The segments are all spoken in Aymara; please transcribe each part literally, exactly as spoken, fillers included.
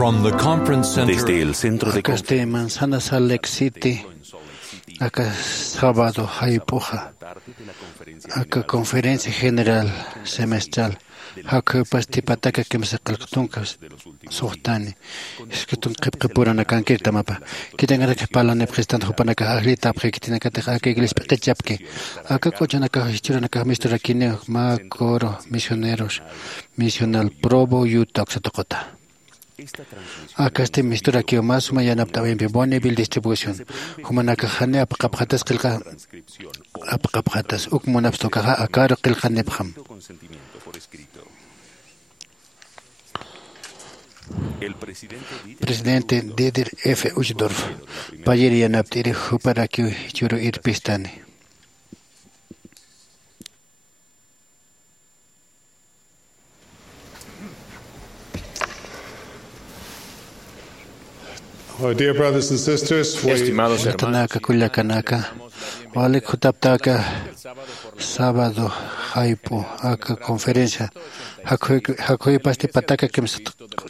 From the conference center. Desde el centro de Akasti Manzana Salt Lake City, aka sábado jayp'uxa, aka conferencia general semestral, jakhuypasti pataka kimsa qillqtunka suxtani, Jesucriston qhipqipuranakankiritamawa. Khitinakanak parlanipxistan jupanakax ajllitapxi, khitinakatix aka iglesia p'iqichapki. Aka q'uchunakax jichhüranakax misturakiniw mä coro misioneros misional Provo, Utah uksa tuquta. Akasti misturakiw mä suma yanapt'awimpi Bonneville Distribution. Jumanakax jani apaqapxatas qillqa, apaqapxatas uk munapxta ukaxa akaru qillqanipxam. Presidente Dieter F. Uchtdorf payir yanapt'iri juparakiw jichhüru irpistani. Oh, dear brothers and sisters, we Estimados hermanos, Llaqtanaka, kullakanaka, walik jutaptaka sábado jayp'u aka conferencia, jakhuy-, jakhuypasti pataka kimsa,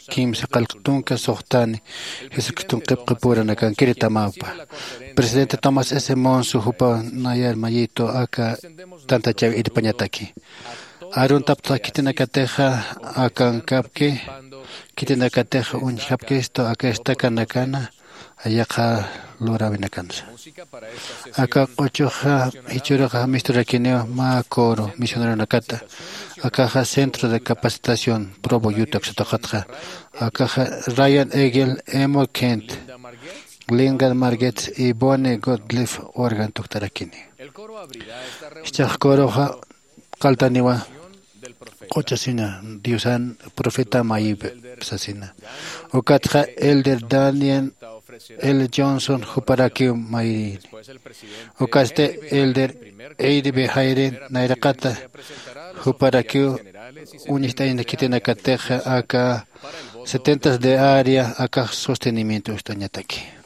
kimsa qillqtunka suxtani, Jesucriston qhipqipuranakankiritamawa. Presidente Thomas S. Monson jupa nayar mayitu aka tantachaw irpañataki. Aruntapxta khitinakatixa akankapki, khitinakatixa uñjapkistu aka estacanakana, yaqha luräwinakansa. Aka q'uchuxa jichhüruxa misturakiniw mä coro misioneronakata. Akaxa Centro de Capacitación Provo, Utah uksa tuqutxa. Akaxa Ryan Egel, Emo Kent, Linda Margetts y Bonnie Gottlieb órgano tuktarakini. Jichhax coroxa qalltaniwa q'uchasina, Diosan profeta mayïp sasina. Ukatxa Elder Daniel L. Johnson juparakiw mayrini. Ukatsti Elder Eddie B. Hayden nayraqata juparakiw uñist'aña khitinakatixa aka setentas de área akax sostenimiento uñist'añataki.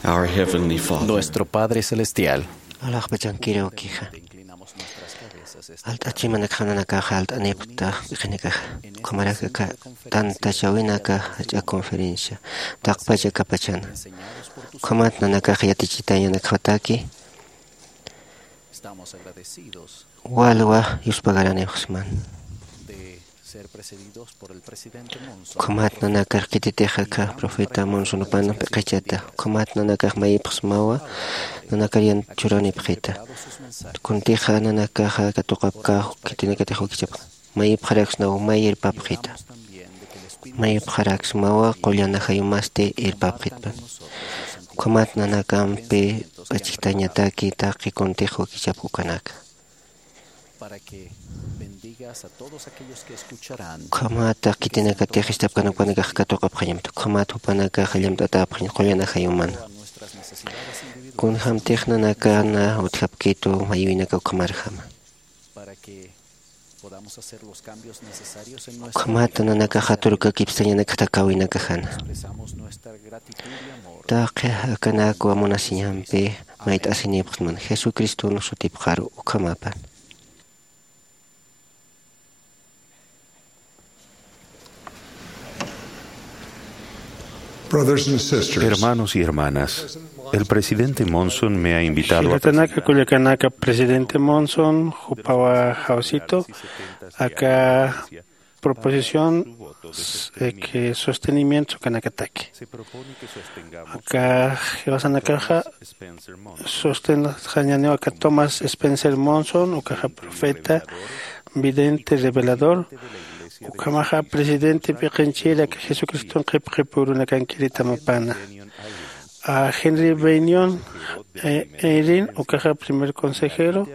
Our Heavenly Father. Nuestro Padre Celestial. Alaxpachankiriw ukixa. Alt'achimanakxa nanakaxa alt'anipxta p'iqinakaxa. Ukhamaraki aka tantachawinaka jach'a conferencia taqpach akapachana. Ukhamat nanakaxa yatichitañanakxataki. Walwa yuspagaranipxsman. Ukhamat nanakax khititix aka profeta Monsonupan p'iqichata. Ukhamat nanakax mayipxsmawa nanakar yan churanipxita. Kuntixa nanakaxa katuqapkax khitinakatix wakichapxa. Mayipxaraksnaw may irpapxita. Mayipxaraksmawa qullan ajayumasti irpapxitpan. Ukhamat nanakampi p'achjtañataki taqi kuntix wakichapx ukanaka. Ukhamat khitinakatix ist'apkanakanakax katuqapxañamta. Ukhamat jupanakax allamt'atäpxañ qullan ajayumana. Kunjämtix nanakana utjapkitu mayïwinaka ukhamarjama. Ukhamat nanakaxa turkakipstañanakxa takawinakajana. Taqi akanakwa munasiñampi mayt'asinipxsman Jesucriston sutipxaru ukhamapan. Brothers and sisters, hermanos y hermanas, el presidente Monson me ha invitado a... Jilatanaka, kullakanaka, presidente Monson jupawa jawsitu aka proposición, eh, que sostenimiento kanakataki. Aka jiwasanakaxa sostenxañaniw aka Thomas Spencer Monson, ukaxa profeta, vidente, revelador, ukhamaxa presidente p'iqinchir aka Jesucriston qhipqipürunakankiritamapana. A Henry Bennion, eh, Eyring, ukaxa primer consejero,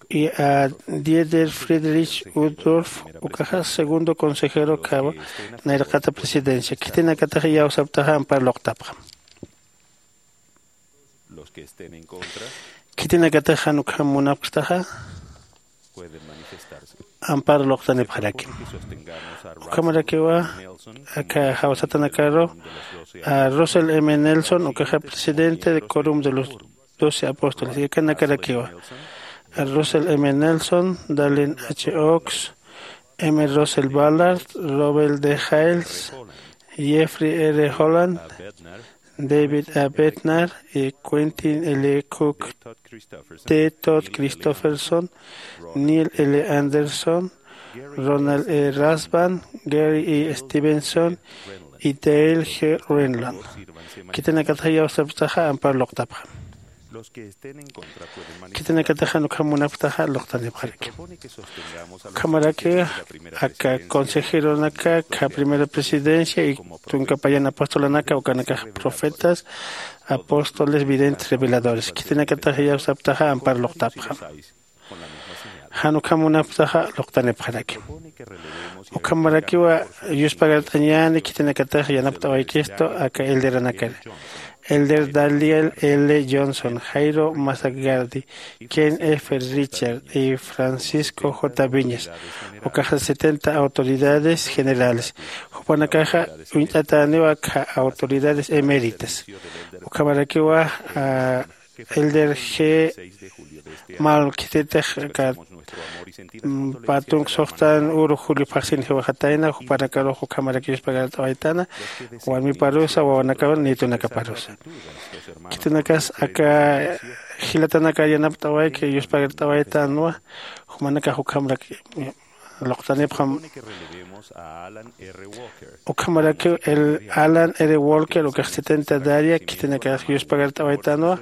y a Dieter Friedrich Uchtdorf, ukaxa segundo consejero, kawa nayraqata presidencia. Khitinakataxa iyawsaptaxa ampar luqtapxam. Khitinakataxa jan ukham munapkstaxa ampar luqtanipxarakim. Ukhamarakiwa aka jawsatanakaru a Russell M. Nelson, ukaxa presidente de Quórum de los Doce Apóstoles, yakanakarakiwa a Russell M. Nelson, Dallin H. Oaks, M. Russell Ballard, Robert D. Hales, Jeffrey R. Holland, David A. Bednar, y Quentin L. Cook, T. Todd Christofferson, Neil L. Anderson, Ronald E. Rasband, Gary E. Stevenson y Dale G. Renlund. Khitinakataxa iyawsapxtaxa ampar luqtapxam. Khitinakataxa jan ukham munapktaxa luqtanipxaraki. Ukhamaraki aka consejeronaka, aka primera presidencia y tunka payan apostolanaka, ukanakax profetas, apóstoles, videntes, reveladores. Khitinakataxa iyawsapktaxa ampar luqtapxam. Jan ukham munapktaxa luqtanipxaraki. Ukhamarakiwa yuspagart'añäni khitinakatax yanapt'awaykistu aka elderanakar. Elder Daniel L. Johnson, Jairo Masagardi, Ken F. Richard y Francisco J. Viñas, ukaxa setenta autoridades generales. Jupanakaxa uñt'atäniwa aka autoridades eméritas. Ukhamarakiwa, ah, Elder G. Mal khititix aka, mm, pä tunka suxtan uru julio phaxsin jiwxatayna, jupanakarux ukhamarak yuspagart'awaytana, warmiparusa, wawanakawan, nietonakaparusa. Khitinakas aka jilatanakar yanapt'awayki yuspagart'awaytanwa, jumanakax ukhamarak luqtanipxam. Ukhamarakiw el Alan R. Walker, ukax setenta de área, khitinakax yuspagart'awaytanwa,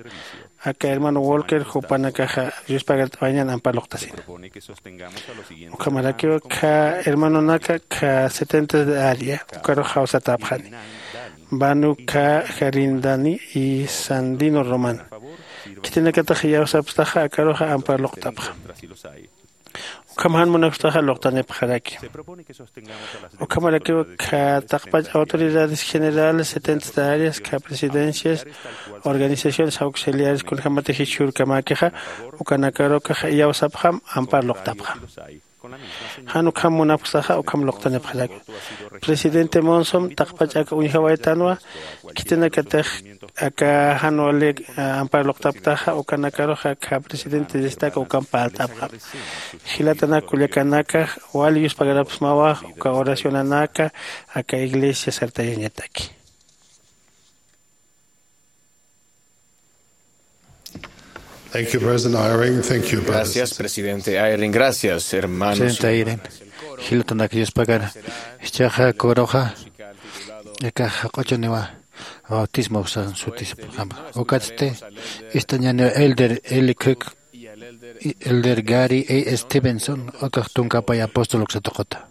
aka hermano Walker, jupanakaxa yuspagart'awayañan ampar luqtasina. Ukhamarakiw kha hermanonaka, kha setenta de área, ukarux jawsatäpxani. Banu, kha Jarindani y Sandino Román. Khitinakatax iyawsapktaxa, akaruxa ampar luqtapxam. Ukham jan munapktaxa luqtanipxaraki. Ukhamarakiw kha taqpach autoridades generales, setenta de áreas, kha presidencias, organizaciones auxiliares, kunjämatix jichhürkamäkixa, ukanakarukax iyawsapxam, ampar luqtapxam. Jan ukham munapxsaxa ukham luqtanipxarak. Presidente Monson taqpach aka uñjawaytanwa, khitinakatix aka jan wali ampar luqtapktaxa ukanakaruxa akha presidente destaka ukan parlt'apxam. Jilatanak kullakanaka, wali yuspagarapxsmawa uka oracionanaka aka iglesia sartayañataki. Thank you, President Eyring. Thank you, brothers. Gracias, presidente Eyring. Gracias, hermanos. Presidente Eyring, jilatanak yuspagara. Ichaxa kuruxa aka jaq'uchuniwa bautismo usan sutisipxam. Ukatsti ist'añaniwa elder Eli Cook, elder Gary A Stevenson, ukax tunkapay apóstol uksatuquta.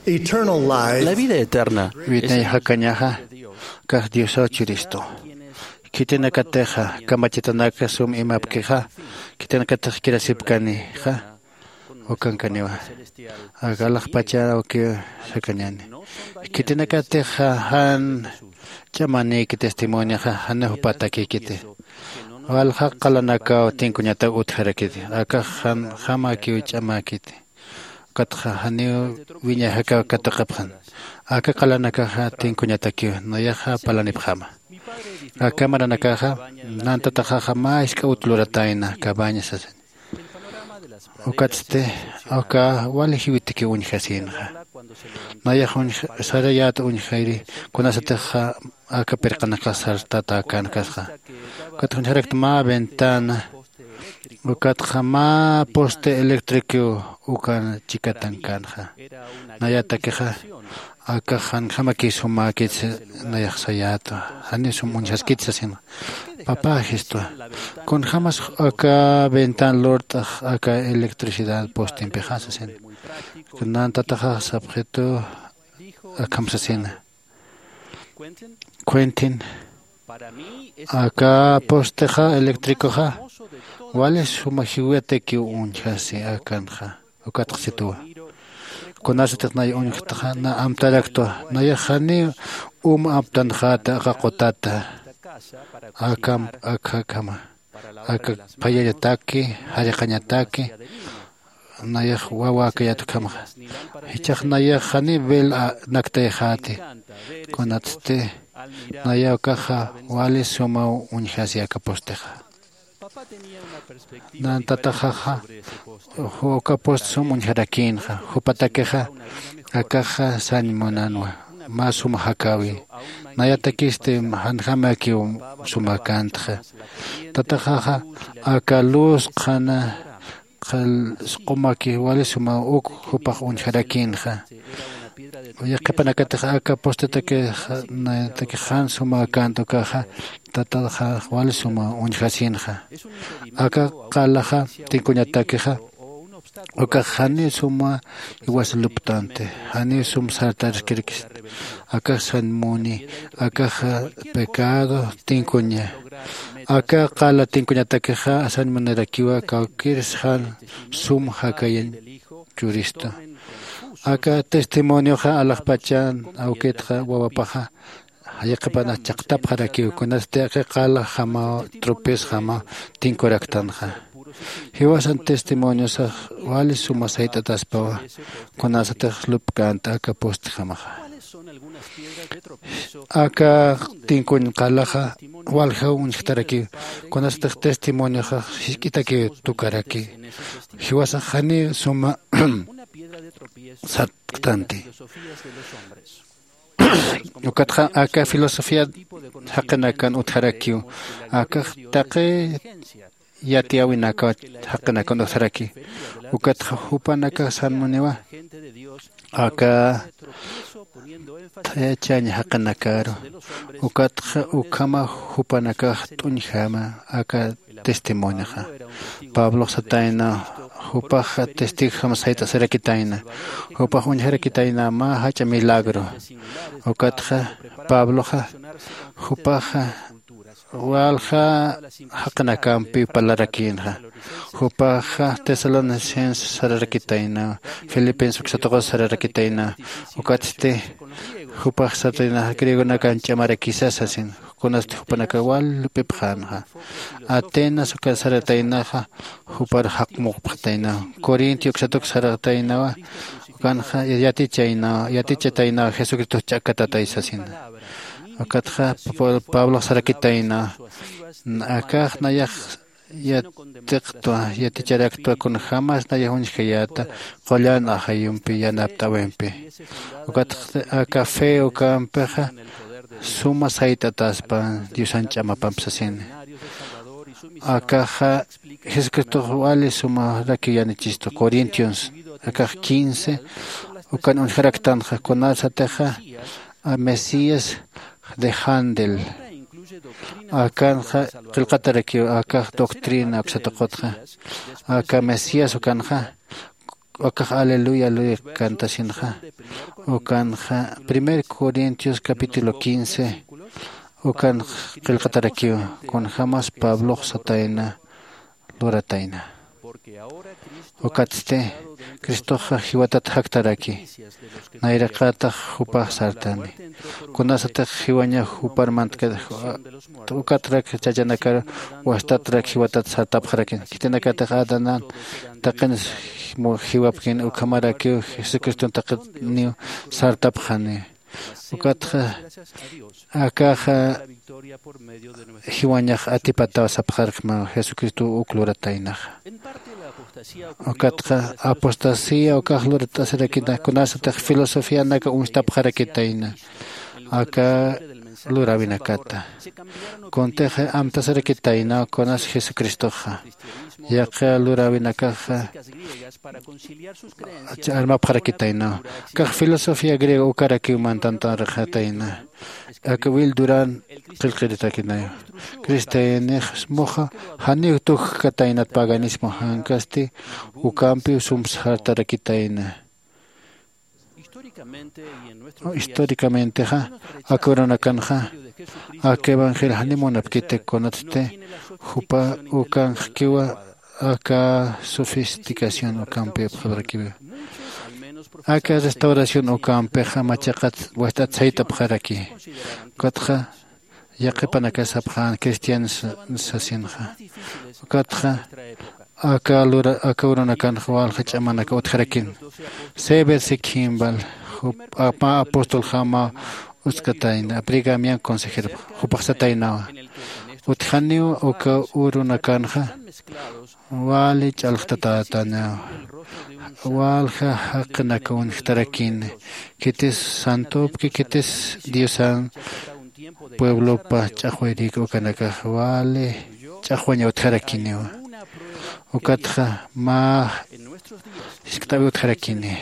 Eternal life. La vida eterna es... Witnay jakañaxa kax Diosaw churistu. Khitinakatixa kamachitanaka sum imapkixa, khitinakatix kirasipkanixa ukankaniwa. Aka alaxpacharakiw sakañäni. Khitinakatixa jan ch'amanïki testimonioxa janiw jupatakïkiti. Walja qalanakaw tinkuñataw utjarakiti. Akax janjamakiw ch'amäkiti. Ukatxa janiw wiñay jakaw katuqapxan. Aka qalanakaxa tinkuñatakiw nayaxa parlanipxäma. Aka maranakaxa, nan tataxaxa mä jisk'a ut luratayna, cabaña sasin. Ukatsti aka wali jiwitkiw uñjasïnxa. Nayax uñj-, sarayät uñjayri, kunasatixa aka pirqanakax sartatäkänkasxa. Ukat uñjarakta mä ventana, ukatxa mä poste eléctrico ukan chikatankänxa. Nayatakixa, akax janjamakiw sumäkit nayax sayätwa, janiw sum uñjaskit sasin. Papä, jistwa, kunjämas aka ventana lurt'ax aka electricidad postempixa sasin. Nan tataxax sapxitu akham sasina. Quentin, aka postexa eléctricoxa wali suma jiwatakiw uñjasi akanxa. Ukatxa situwa. Kunasatix nay uñjtaxa, na amtaraktwa, nayax janiw um aptanxäta aka qutata, aka, aka, aka, aka phayañataki, jariqañataki, nayax wawa akayät ukhamxa. Jichhax nayax janiw bel naktayxäti. Kunatsti nayaw akaxa wali sumaw uñjasi aka postixa. Nan tataxaxa uka post sum uñjarakïnxa. Jupatakixa akaxa sañ munanwa mä sum jakäwi. Nayatakisti janjamakiw sumäkäntxa. Tataxaxa aka luz qhana qhal sq'umaki wali sumaw uk jupax uñjarakïnxa. Yaqhipanakatix aka postetakix jan sumäkänt ukaxa tataxax wali sumaw uñjasïnxa. Aka qalaxa tinkuñatakixa ukax janiw suma iwas luptanti. Janiw sum sartaraskirkisti. Akax sañ muni. Akaxa pecado tinkuña. Aka qala tinkuñatakixa sañ munirakiwa kawkïrs jan sum jakayañ churistu. Aka testimonioxa alaxpachan awkitxa wawapaxa yaqhipanx chaqtapxarakiw kunasti aka qala jamaw tropezjamaw tinkuraktanxa. Jiwasan testimoniosax wali suma sayt'ataspawa kunasatix lupkänta aka postjamaxa. Aka tinkuñ qalaxa waljaw uñjtarakiw kunasatix testimonioxax jisk'itakiw tukaraki. Jiwasax janiw suma satktanti. Ukatxa aka filosofía jaqinakan utjarakiw. Akax taqi yatiyäwinakaw jaqinakan utjaraki. Ukatxa jupanakax sañ muniwa aka thayachañ jaqinakaru. Ukatxa ukhama jupanakax t'uñjama aka testimonioxa. Pablox satayna jupax testigojam sayt'asirakitayna. Jupax uñjarakitayna mä jach'a milagro. Ukatxa pabloxa jupaxa walja jaqinakampiw parlarakïnxa. Jupaxa tesalonicense sararakitayna, filipense uksatuqus sararakitayna. Ukatsti jupax satayna griegonakan ch'amarakisa sasin. Kunasti jupanaka wal lup'ipxänxa. Atenas uka sarataynaxa jupar jaqmuqpxatayna. Corintio uksatuk sarataynawa ukanxa yatichaynawa yatichataynawa jesucristox ch'akatatay sasina. Ukatxa pablox sarakitayna akax nayax yatiqtwa yaticharaktwa kunjämas nayax uñjkayäta qullan ajayumpi yanapt'äwimpi. Ukatxa aka fe ukampixa suma sayt'ataspa diosan ch'amapamp sasini. Akaxa jesucristox wali sumarakiw yanichistu corintios akax quince ukan uñjaraktanxa kunasatixa mesías de handel akanxa qillqatarakiw akax doctrina uksatuqutxa aka mesías ukanxa ukax aleluya aleluya cantasinxa. Ukanxa primer corintios capítulo quince ukanx qillqatarakiw kunjämas pablox satayna luratayna. Ukatsti cristoxa jiwatat jaktaraki. Nayraqatax jupax sartani kunasatix jiwañax jupar mantkat ukatrak chachanakar wastatrak jiwatat sartapxarakin khitinakatix adanan taqin jiwapkin ukhamarakiw jesucriston taqiniw sartapxani. Ukatxa akaxa jiwañax atipataw sapxarkma jesucristow uk lurataynaxa. Ukatxa apostasía ukax lurat'asirakina kunasatix filosofianaka uñstapxarakitayna aka luräwinakata. Kuntix amtasirakitaynaw kunas jesucristoxa yaqha luräwinakaxa armapxarakitaynaw. Akax filosofía griego ukarakiw mantantarxatayna. Aka wil duran qillqiritakinaw cristianix muxa janiw tukjkataynat paganismo jankasti ukampiw sumsxartarakitayna. Históricamentexa aka urunakanxa aka evangelio janiw munapkiti kunatsti jupa ukanxkiwa aka sofisticación ukampi apxapxarakiwa. Aka restauración ukampixa machaqat wajt'at sayt'apxaraki. Ukatxa yaqhipanakas sapxän cristianos sasinxa. Ukatxa aka lura aka urunakanxa walja ch'amanaka utjarakina. Sever sikhimval jupa apóstoljama uskatayna brigamian consejerpa jupaxsataynawa. Utjaniw uka urunakanxa wali ch'alxtatätanaw walja jaqinaka unjtarakini. Khitis santupki khitis diosan pueblopa ch'axwayrik ukanakax wali ch'axwaña utjarakiniwa. Ukatxa mä jiskt'awi utjarakini.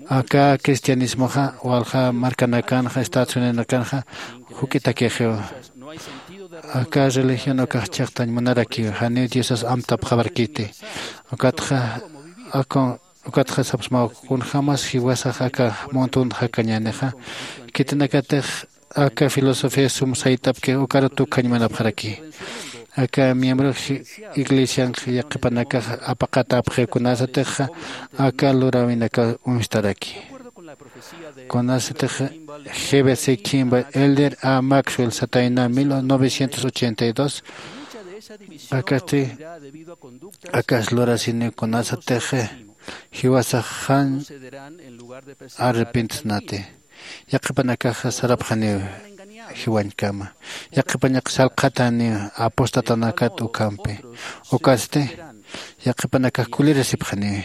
Aka cristianismoxa walja markanakanxa estados unidosnakanxa juk'itakixiwa. Aka religión ukax chiqtañ munarakiw janiw diosas amtapxawarkiti. Ukatxa akun ukatxa sapsmaw kunjämas jiwasax aka muntun jakañänixa khitinakatix aka filosofía sum sayt'apki ukaru tukjañ munapxaraki. Aka miembro iglesianx yaqhipanakax apaqatäpxiw kunasatixa aka luräwinaka uñstaraki. Kunasatix jebe sikimba elder a maxwell satayna mil novecientos ochenta y dos. Akasti akas lurasini kunasatix jiwasax jan arrepintsnati. Yaqhipanakax sarapxaniw jiwañkama. Yaqhipañak salqhataniw apostatanakat ukhampi. Ukasti yaqhipanakax kulirasipxaniw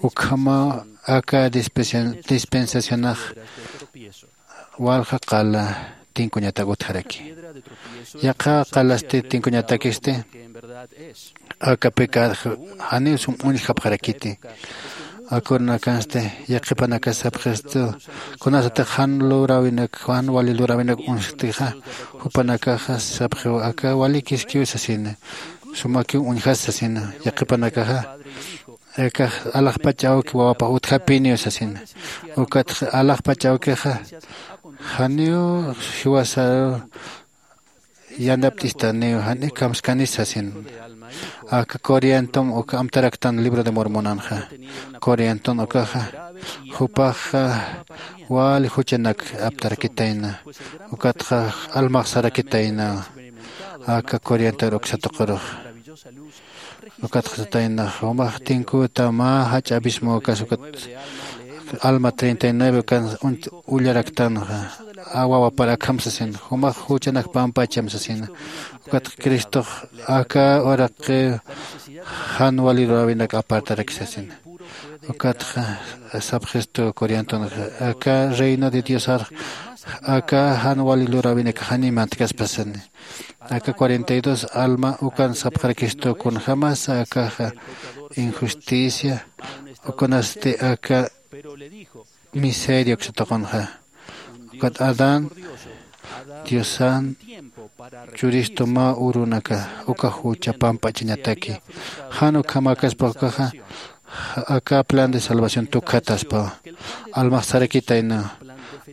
ukhama aka dispensacionax walja qala tinkuñatak utjaraki. Yaqha qalasti tinkuñatakisti aka pecad janiw sum uñjapxarakiti. Akurnakansti yaqhipanaka sapxistu kunasatix jan luräwinak jan wali luräwinak uñjktixa jupanakaxa sapxiw aka walikiskiw sasina. Sumakiw uñjas sasina yaqhipanakaxa. Aka alaxpach awki wawapax utjapiniw sasina. Ukatxa alaxpach awkixa janiw jiwasaru yanapt'istaniw jani kamskanis sasina. Aka coriantum uka amtaraktan libro de mormonanxa. Coriantum ukaxa jupaxa wali juchanak aptarakitayna. Ukatxa almaxsarakitayna aka coriantur uksatuqurux. Ukatxasataynax jumax tinkuta mä jach'a abismo ukas ukat alma treinta y nueve ukan ullaraktanxa. Awawapar akham sasin jumax juchanak pampacham sasina. Ukatxa cristox aka uraqi jan wali luräwinak apartaraki sasina. Ukatxa sapxistu coriantunxa aka reino de diosar aka jan wali luräwinak jani mantkaspa sasina. Aka cuarenta y dos alma ukan sapxarakistu kunjämas akaxa injusticia ukunasti aka miseria uksatuqunxa. Ukat adán diosan churistu mä urunaka uka jucha pamp'achañataki. Jan ukhamäkaspa ukaxa aka plan de salvación tukjataspawa. Almax sarakitaynawa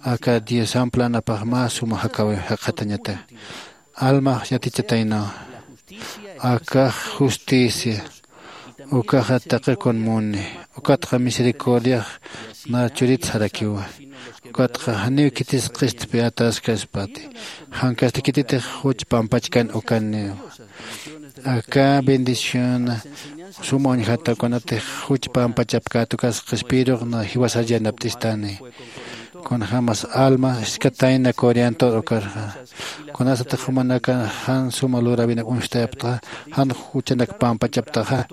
aka diosan planapax mä suma jakawiw jaqhatañata. Almax yatichataynawa akax justicia ukaxa taqi kun muni. Ukatxa misericordiax na churit sarakiwa. Ukatxa janiw khitis qistpi ataskaspati jankasti khititix juch pampachkan ukaniwa. Aka bendición suma uñjata kunatix juch pampachapkät ukas qispirux na jiwasar yanapt'istani. Kunjämas alma jiskatayna coriantor ukarxa kunasatix jumanaka jan suma luräwinak uñstayaptaxa jan juchanak pampachaptaxa.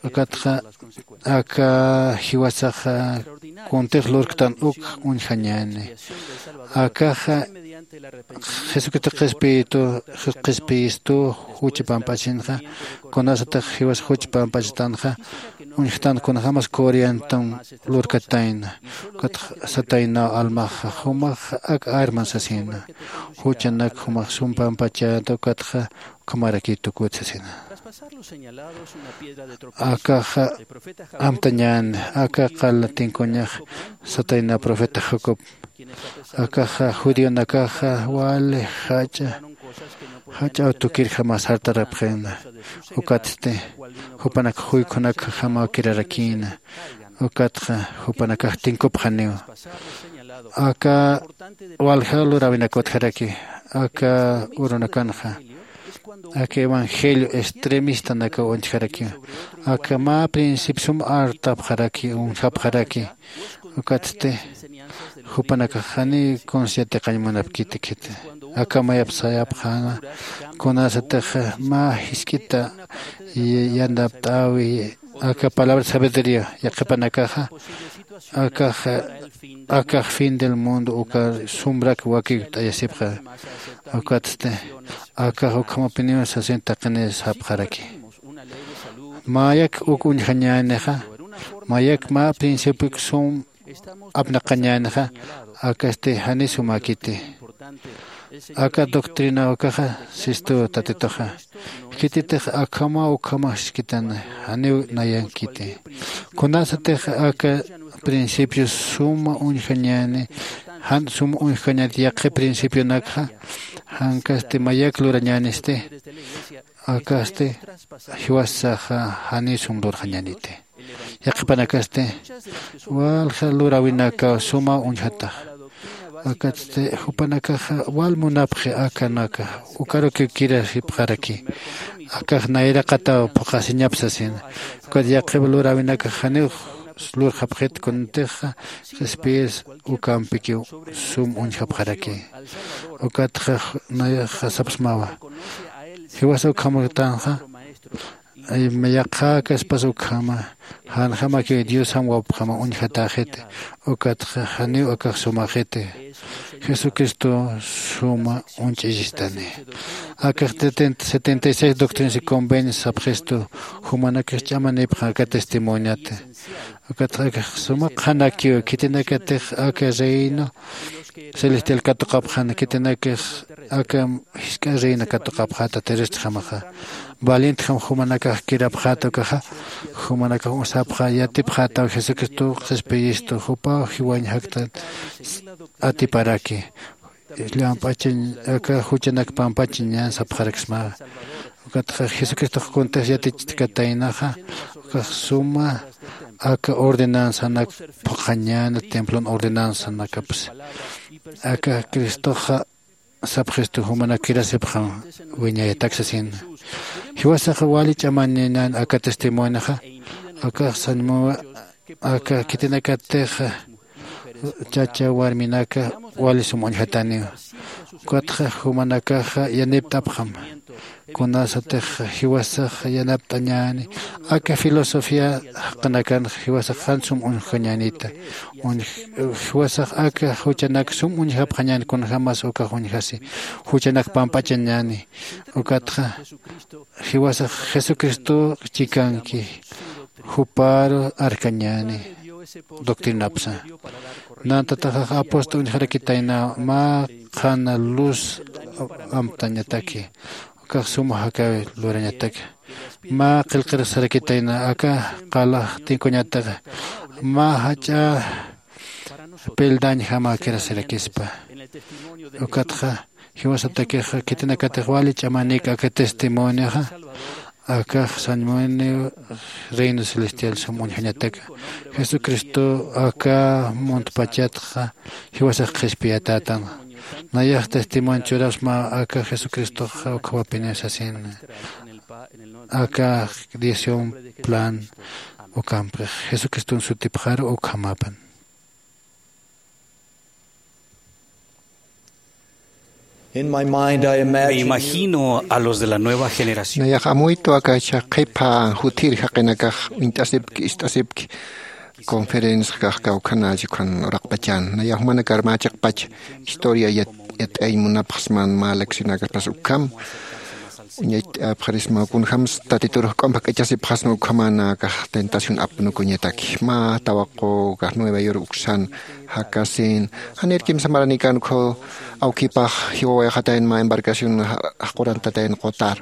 Ukatxa aka jiwasaxa kuntix lurktan uk uñjañäni. Akaxa jesucristo qhispiyitu qhispiyistu jucha pamp'achinxa kunasatix jiwas jucha pamp'achatanxa uñjtan kunjämas coriantum lurkatayna. Ukatxa sataynaw almaxa jumax ak arman sasina. Juchanak jumax sum pampachäta ukatxa ukhamarakiy tukut sasina. Akaxa amtañän aka qala tinkuñax satayna profeta jacob. Akaxa judionakaxa wali jach'a jach'aw tukirjama sartarapxina. Ukatsti jupanak juykhunak jamaw kirarakïna. Ukatxa jupanakax tinkupxaniw aka walja luräwinak utjaraki aka urunakanxa. Aka evangelio extremistanakaw uñjarakiw. Aka mä principio sum artapxaraki, uñjapxaraki. Ukatsti jupanakax janiw kunsa yatiqañ munapkiti khiti. Aka mayap sayapxäna, kunasatix mä jisk'ita yanapt'äwi aka palabra sabiduría yaqhipanakaxa, akax akax fin del mundo uka sumrak wakikt'ayasipxa. Ukatsti akax ukhamapiniw sasin taqinir sapxaraki. Mayak uk uñjañänixa, mayak mä principiok sum apnaqañänixa, akasti jani sumäkiti. Aka doctrina ukaxa sistu tatituxa. Khititix akhama ukhama jisk'itan janiw nayankiti. Kunasatix aka principio suma uñjañäni, jan suma uñjañäni yaqhi principionakxa, jankasti mayak lurañänisti, akasti jiwasaxa jani sum lurxañäniti. Yaqhipanakasti walja luräwinakaw suma uñjatax. Akatsti jupanakaxa wal munapxi akanaka, ukarukiw kirasipxaraki. Akax nayraqataw phuqhasiñap sasin. Ukat yaqhip luräwinakax janiw lurxapxit kuntixa qhispiyis ukampikiw sum uñjapxaraki. Ukatxa nayaxa sapxsmawa. Jiwasa ukhamätanxa, yaqhäkaspas ukhama, janjamakiw Diosjam wawpjama uñjatäxiti, ukatxa janiw akax sumaxiti. Jesucristo suma uñch'isistani. Akax setenta y seis doctrinas y convenios sapxistu, jumanakax ch'amanipxam aka testimoniat. Ukatxa akax suma qhanakiw, khitinakatix aka reino celestial katuqapxan, khitinakax aka jisk'a reino katuqapxäta terrestrejamaxa. Valientjam jumanakax kirapxäta ukaxa, jumanakax usapxa yatipxätaw Jesucristo qhispiyistu, jupaw jiwañ jaktan atiparaki. Llamp'achañ aka juchanak pampachañan sapxaraksma. Ukatxa Jesucristox kuntix yatichkataynaxa, ukax suma aka ordenanzanak phuqhañäna, templon ordenanzanakapsa. Aka Cristoxa sapxistu, jumanak kirasipxam wiñayatak sasina. Jiwasax wali ch'amañañän aka testimonixa, akax sañmuwa aka khitinakatixa chacha warminaka wali sum uñjataniwa. Ukatxa jumanakaxa yanipt'apxam. Kunasatix jiwasax yanapt'añäni, aka filosofía jaqinakan jiwasax jan sum uñjañänita. Jiwasax aka juchanak sum uñjapxañäni, kunjämas ukax uñjasi, juchanak pamp'achañäni. Ukatxa jiwasax Jesucristo chikanki, jupar arkañäni doctrinapsa. Nantataxax apóstol uñjarakitayna mä qhana luz amtañataki, ukax suma jakaw lurañataki. Mä qillqir sarakitayna aka qalax tinkuñataxa, mä jach'a peldañjama kirasirakispa. Ukatxa jiwasatakixa khitinakatix wali ch'amanik aka testimonioxa, akax sañmuniw reino celestial sum uñjañataka. Jesucristo aka muntpachatxa jiwasax qhispiyatätan. Nayax testimonio churasma aka Jesucristoxa ukhamapiniw sasina. Aka diecisión plan ukampix Jesucriston sutipxaru ukhamapan. In my mind, I imagine you. Me imagino a los de la nueva generación. Nayax amuytu aka chaqhipa juthir jaqinakax uñt'asipki, ist'asipki, conferencia kax kawkhana chikhan uraqpachan. Nayax jumanakar mä chiqpach historia yat-, yat'ayañ munapxsman, mä leccionakaspas ukham. Uñacht'apxarisma kunjams Tatitur juk'amp jak'achasipxasma ukhamana akax tentación apnukuñataki. Mä tawaqu kax Nueva York uksan jakasin, janir kimsa maranikan ukhu awkipax jiwawayxatayn mä embarcación ja-, jaqurantatayn qutar.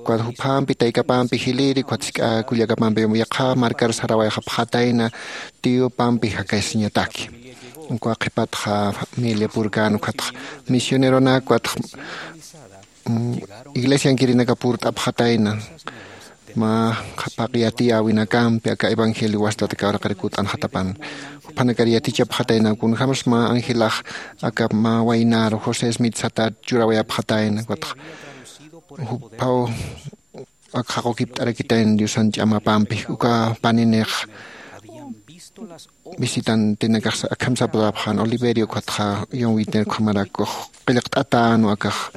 Ukat juphampi taykapampi jiliri, ukat jisk'a kullakapampi yaqha markar sarawayxapxatayna, tiyupampi jakasiñataki. Uka qhipatxa familia purkan, ukatxa misioneronak, ukatxa mm, iglesiankirinaka purt'apxatayna, mä qhapaq yatiyäwinakampi aka evangelio wastata kawraqir kut'anxatapan. Juphanakar yatichapxatayna, kunjams mä angelax aka mä waynaru José Smith satat churawayapxatayna, ukatxa Juphaw ak jaqukipt'arakitayn diosan ch'amapampi uka paninix visitantinakax akham saptapxan oliverio ukatxa yon witner ukhamarak ux qillqt'atänwa akax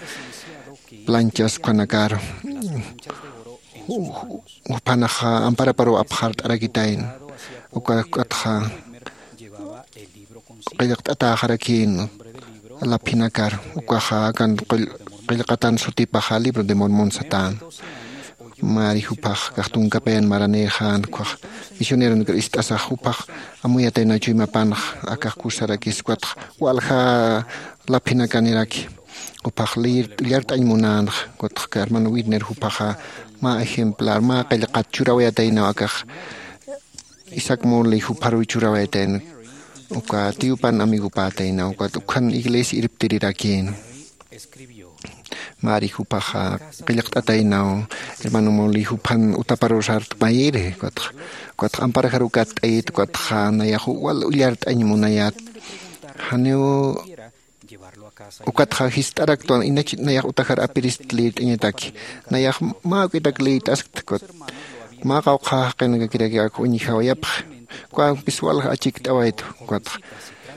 planchas ukhanakaru. Juphanaxa amparaparuw apxart'arakitayna. Uka ukatxa qillqt'atäxarakïn laphinakar ukaxa akan qillqatan sutipaxa libro de mormon satän. Mari juphax kax tunkapayan maranïxän ukax misioneronakar ist'asax juphax amuyataynaw chuymapanx akax kusarakis ukatx walja laphinakaniraki. Juphax liyir ullart'añ munänx ukatx hermano witner juphaxa mä ejemplar mä qillqat churawayataynaw akax isaac morley jupharuw churawayatayna. Uka tiyupan amigopätaynaw ukat ukhan iglesia irptirirakïn. Mari juphaxa qillqt'ataynaw hermano morley juphan utaparusart mayiri ukatx ukatx amparajaruw katt'ayit ukatxa nayax wal ullart'añ munayat. Janiw ukatxa jist'araktwan inach nayax utajar apirist liyt'añataki. Nayax mä uk'itak liyt'askta ukat mä qawqha jaqinakakiraki ak uñjawayapxi. Ukampis walja achikt'awaytu ukatxa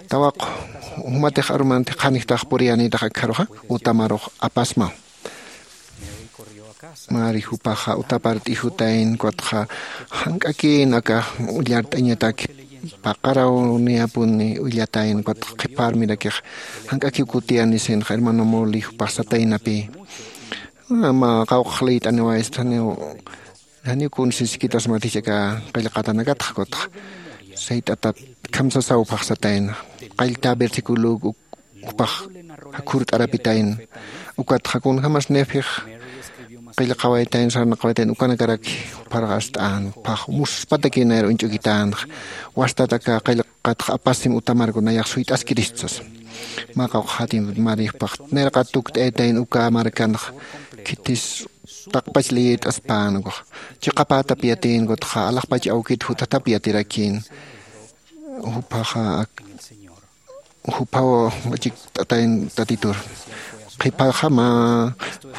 tawaqu jumatix arumanti qhanjtax puriyänïtax akjaruxa utamarux apasmaw. Mari jupaxa utapart'ijutayn ukatxa jank'akïn aka ullart'añataki paqaraw niyapuni ullatayn ukatxa qhiparmirakix jank'akiw kutiyanisïnxa hermano moli jupax sataynapï. Mä qawqax liyt'aniwaysta janiw janiw kunsiskitasmatich aka qillqatanakatxa ukatxa sayt'atat khamsasaw jupax satayna qallta versiculuk jupax jakhurt'arapitayna. Ukatxa kunjämas nefix qillqawaytayna sarnaqawaytayna ukanakaraki jupharxast'än jupax muspatakï nayar uñch'ukitänxa. Wastat aka qillqatxa apasim utamarku nayax suyt'askirist sasa. Mä qawqxatim mari jupax nayraqat tukt'aytayna uka markanxa khitis taqpach liyirt'aspän ukax chiqapätap yatïn ukatxa alaxpach awkit juthatap yatirakïn. Juphaxa juphaw achikt'atayn tatitur qhipaxa mä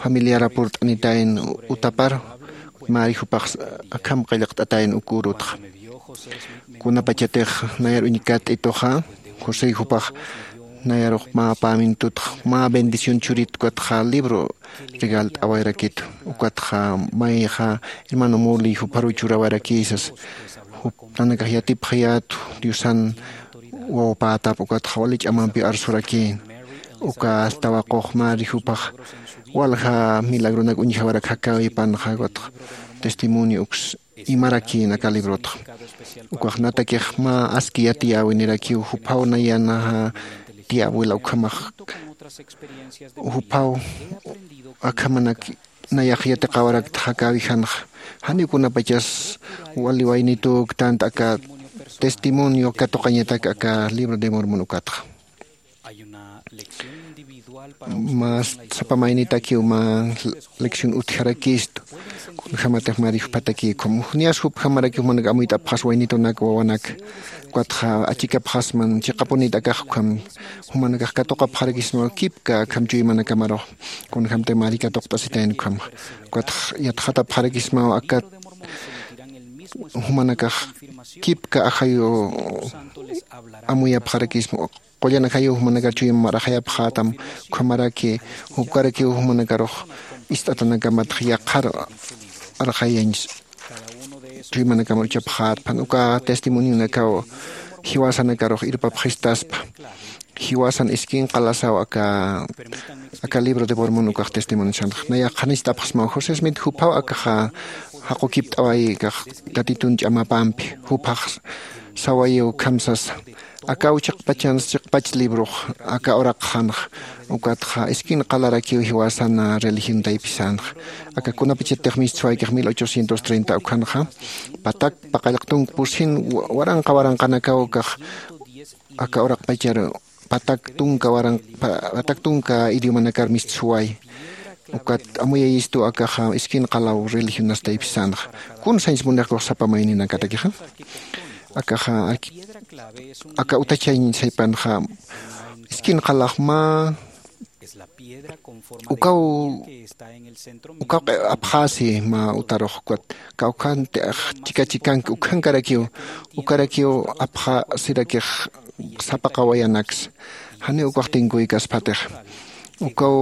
familiar apurt'anitayn utapar mari jupax akham qillqt'atayn ukürutxa. Kunapachatix nayar uñkat'ituxa josé jupax nayarux mä pamintutxa mä bendición churit ukatxa libro regalt'awayrakitu. Ukatxa mayxa hermano moli jupharuw churawarakïsas jup nanakax yatipxayätu diosan wawapätap ukatxa wali ch'amampiw arsurakïn. Uka tawaqux mari jupax walja milagronak uñjawarak jakäwipanxa ukatxa testimonio uks imarakïn aka librotxa. Ukax natakix mä aski yatiyäwinirakiw juphaw nayanaxa tiyäwila ukhamax juphaw akhamanak nayax yatiqawarakta jakäwijanxa janiw kunapachas wali waynitüktant aka testimonio katuqañatak aka libro de mormon ukatxa. Mä sapa maynitakiw mä lección utjarakistu. Kunjämatix mari juphatakï ukham niyas jupjamarakiw jumanak amuyt'apxas waynitunak wawanak ukatxa achikapxasman chiqapunit akax ukham jumanakax katuqapxarakismaw kipka akham chuymanakamarux. Kunjämtix mari katuqt'asitayna ukhamxa ukatxa yatxatapxarakismaw akat jumanakax kipka ajayu amuyapxarakisma. Qullan ajayu jumanakar chuymamar ajayapxätam ukhamaraki jupkarakiw jumanakarux ist'atanakamatx yaqhar arxayañ chuymanakamar uchapxätpan uka testimonionakaw jiwasanakarux irpapxistaspa. Jiwasan iskin qalasaw aka aka libro de mormon ukax testimoniosanxa nayax qhanist'apxsmaw josé smit juphaw akaxa jaqukipt'away akax tatitun ch'amapampi juphax sawayiw ukham sasa. Akaw chiqpachans chiqpach librox aka uraqxanxa ukatxa iskin qalarakiw jiwasan religion taypisanxa. Aka kunapachatix mistsuwaykix mil ochocientos treinta ukhanxa patak paqallq tunka pusin waranqa waranqanakaw akax aka uraqpachar patak tunka waran patak tunka idiomanakar mistsuway. Ukat amuyayistu akaxa iskin qalaw religionas taypisanxa. Kun sañs munixkux sapa mayninakatakixa akaxa aka utachañ saypanxa iskin qalax mä Ukaw ukaw apxasi mä utarux ukat kawkhanti chika chikanki ukhankarakiw ukarakiw apxasirakix sapaqawayanaksa. Janiw ukaxtinkuy kaspatix ukaw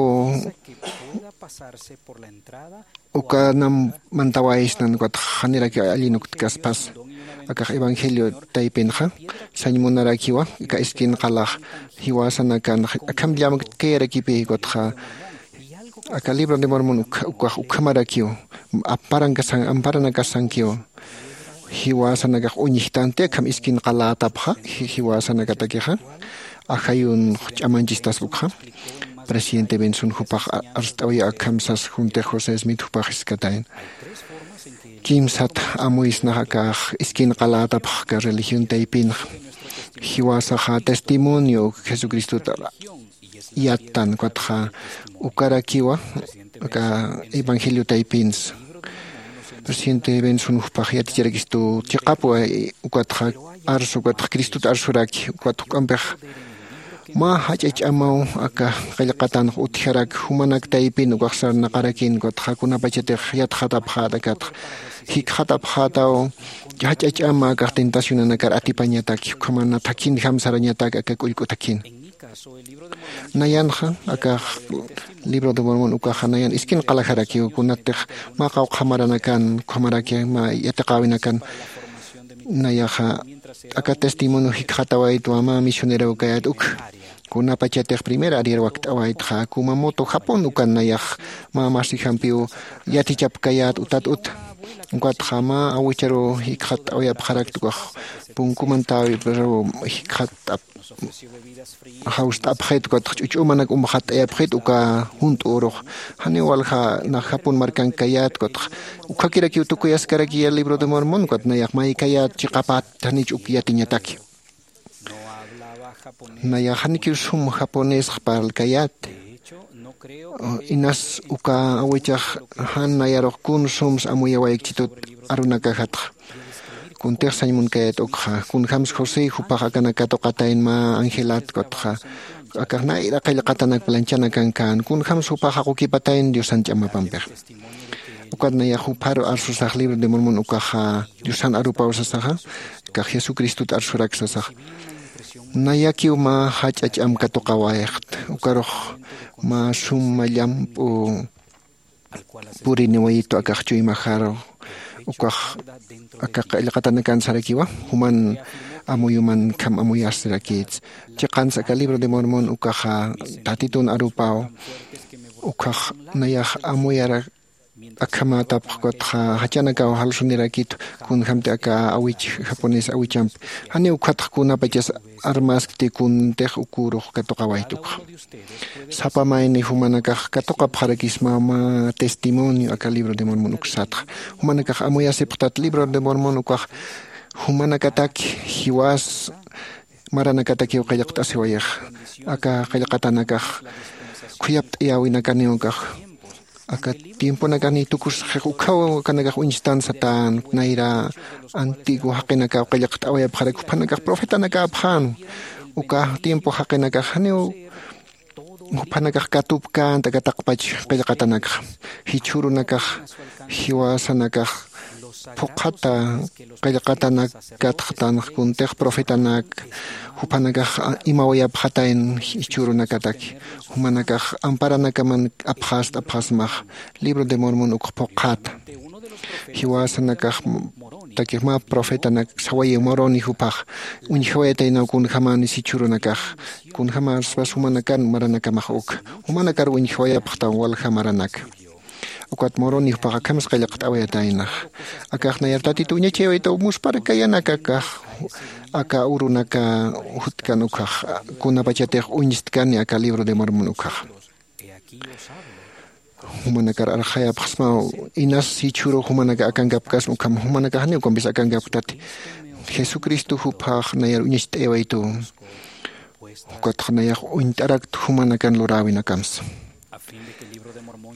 ukanam mantawaysnan ukatxa janirakiw allinuktkaspas akax evangelio taypinxa sañ munarakiwa aka iskin qalax jiwasanakan akham llamktkayarakipi ukatxa aka libro de mormon ukax ukhamarakiw amparanakasankiw jiwasanakax uñjtanti akham iskin qalätapxa jiwasanakatakixa ajayun ch'amanchistaspa ukxa presidente benson jupax arst'awya akham sas juntix josé smith jupax jiskatayna kimsat amuysnax akax iskin qalätapxa aka religión taypinxa jiwasaxa testimonio jesucristota yattan ukatxa ukarakiwa aka evangelio taypinsa presidente benson jupax yaticharakistu chiqapwa ukatxa arsu ukatxa cristota arsuraki ukat juk'ampix mä jach'a ch'amaw aka qillqatanx utjaraki jumanak taypin ukax sarnaqarakin ukatxa kunapachatix yatxatapxäta akatxa jikxatapxätaw jach'a ch'ama akax tentacionanakar atipañataki ukhamana thakinjam sarañatak aka k'ullk'u thakin nayanxa akax libro de mormon ukaxa nayan iskin qalajarakiw kunatix mä qawqha maranakan ukhamaraki mä yatiqäwinakan nayaxa aka testimonio jikxatawaytwa mä misionerow kayät uk kunapachatix primera ariar wakt'awaytxa kumamoto japón ukan nayax mä masijampiw yatichapkayät utat uta ukatxa mä awicharuw jikxatt'awayapxarakta ukax punkumantäwi pero jikxatt'ap jawst'apxit ukatxa ch'uch'umanak umxatt'ayapxit uka junt'ürux janiw walja nax japón markank kayät ukatxa ukkhakirakiw tukuyaskaraki ya libro de mormon ukat nayax maykayät chiqapät janich uk yatiñataki nayax janikiw sum japonesx parlkayät inas uka awichax jan nayarux kun sums amuyawaykchitut arunakajatxa kuntix sañ munkayät ukxa kunjämsa josé jupax akanak katuqatayn mä angelat ukatxa akax nayra qillqatanak planchanakan kän kunjämsa jupax jaqukipatayn diosan ch'amapampix ukat nayax jupharu arsusax libro de mormon ukaxa diosan arupaw sasaxa akax jesucristot arsurak sasaxa nayakiw mä jach'a ch'am katuqawayxt ukarux mä suma llamp'u puriniwayitu akax chuymajaru ukax aka qillqatanakan sarakiwa juman amuyuman kham amuyasirakïts chiqans aka libro de mormon ukaxa tatitun arupaw ukhax nayax amuyara akhamätapx ukatxa jachanakaw jalsunirakit kunjämti aka awich japonés awichampi janiw ukhatx kunapachas armaskti kuntix ukürux katuqawaytukxa sapa mayni jumanakax katuqapxarakisma mä testimonio aka libro de mormon uksatxa jumanakax amuyasipxtat libro de mormon ukax jumanakataki jiwas maranakatakiw qillqt'asiwayax aka qillqatanakax khuyapt'ayäwinakaniw ukax aka tiemponakani tukusxix ukhaw akanakax uñstan satän nayra antiguo jaqinakaw qillqt'awayapxarak juphanakax profetanakäpxän uka tiempo jaqinakax janiw juphanakax katupkänta aka taqpach qillqatanakxa jichhürunakax jiwasanakax phuqhata qillqatanak katxtanx kuntix profetanak juphanakax imawayapxatayn jichhürunakataki jumanakax amparanakaman apxast apxasmax libro de mormon ukx phuqhata jiwasanakax takix mä profetanak sawayi moroni juphax uñjawayataynaw kunjämänis jichhürunakax kunjämäspas jumanakan maranakamax uk jumanakar uñjawayapxtam walja maranaka ukat moroni juphax akhams qillqt'awayataynax akax nayar tatitu uñachaywaytaw muspharkayanak akax aka urunaka jutkan ukhax kunapachatix uñstkani aka libro de mormon ukhax jumanakar arxayapxsmaw inas jichhürux jumanaka akankapkasma ukham jumanakax janiw ukampis akankapktati jesucristo juphax nayar uñacht'aywaytu ukatxa nayax uñt'arakt jumanakan luräwinakamsa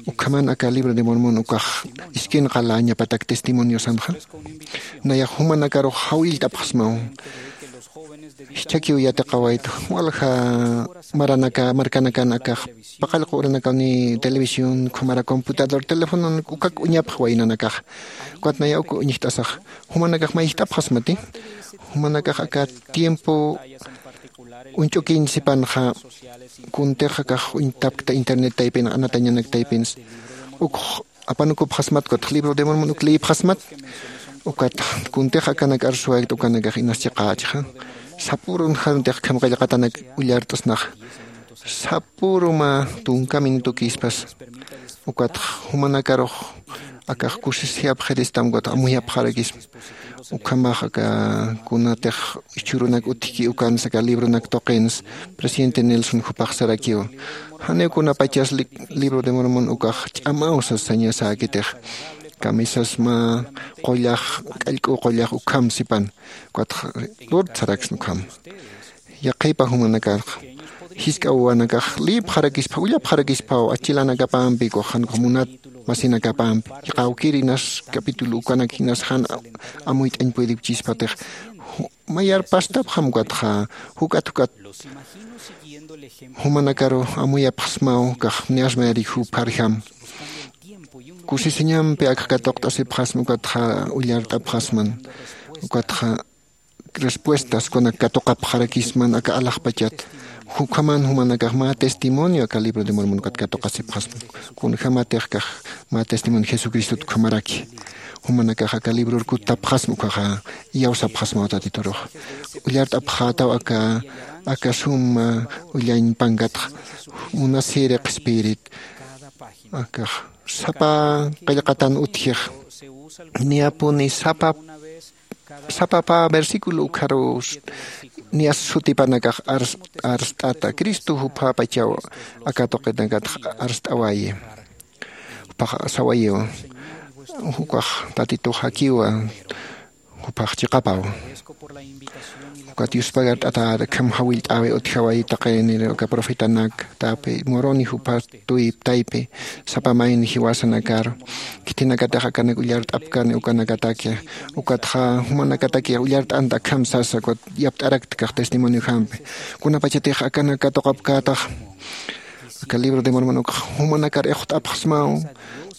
ukhaman aka libro de mormon ukax iskin qaläñapatak testimoniosanxa nayax jumanakarux jawillt'apxsmaw Jichhakiw yatiqawaytu walja maranaka markanakan akax paqallqu uranakaw ni televisión khumara computador telefonon ukak uñapx waynanakax. Ukat naya uk uñjt'asax jumanakax mayjt'apxasmati. Jumanakax aka tiempo uñch'ukiñ sipanxa kuntix akax uñtapkta internet taypin anatañanak taypins ukx apanukupxasmat ukatx libro de mormon uk liyipxasmat. Ukat kuntix akanak arsuwaykt ukanakax inas chiqächxa sapürun jantix kham qillqatanak ullart'snaxa sapüruma tunka minutukïspas. Ukatx jumanakarux akax kusisiyapxiristam ukatx amuyapxarakisma. Ukhamax aka kunatix ichhurunak utjki ukansa aka libronak tuqins presidente nelson jupax sarakiwa. Janiw kunapachas libro de mormon ukax ch'amaw sas sañasäkitix kamisas mä qullax k'allk'u qullax ukham sipan. Ukatx lurt saraksna ukham. Yaqhipa jumanakarx jisk'a wawanakax liyipxarakispa ullapxarakispaw achilanakapampi ukax jan ukax munat masinakapampi. Qawkirinas capítulo ukanak jinas jan amuyt'añ puedipchispatix mayar pastapxam ukatxa juk'at juk'at jumanakaru amuyapxsmaw ukax niyas mayarix jupharjam. Kusisiñampi akx katuqt'asipxasma ukatxa ullart'apxasman. Ukatxa respuestas kunak katuqapxarakisman aka alaxpachat. Jukhaman jumanakax mä testimonio aka libro de mormon ukat katuqasipxasman. Kunjämatix kax mä testimonio jesucristot ukhamaraki jumanakax aka libror kuttapxasma ukhaxa iyawsapxasmaw tatiturux. Ullart'apxätaw aka aka suma ullañ pankatxa munasiri qhispirit akax sapa qillqatan utjix niyapuni sapa sapa pä versículo ukharu niyas sutipanakax arst'ata cristo juphapachaw aka tuqinakatx arst'awayi. Jupax sawayiw jukax tatitux jakiwa jupax chiqapaw. Ukat yuspagart'atäta kham jawillt'äwi utjawayi taqinir uka profetanak täpi muruni jupha tuyp taypi sapa mayni jiwasanakar khithinakatix akanak ullart'apkani ukanakataki. Ukatxa jumanakataki ullart'anta akham sasa ukat yapt'arakta kax testimonio jampi kunapachatix akanak katuqapkätax aka libro de mormon ukx jumanakar ixwt'apxsmaw.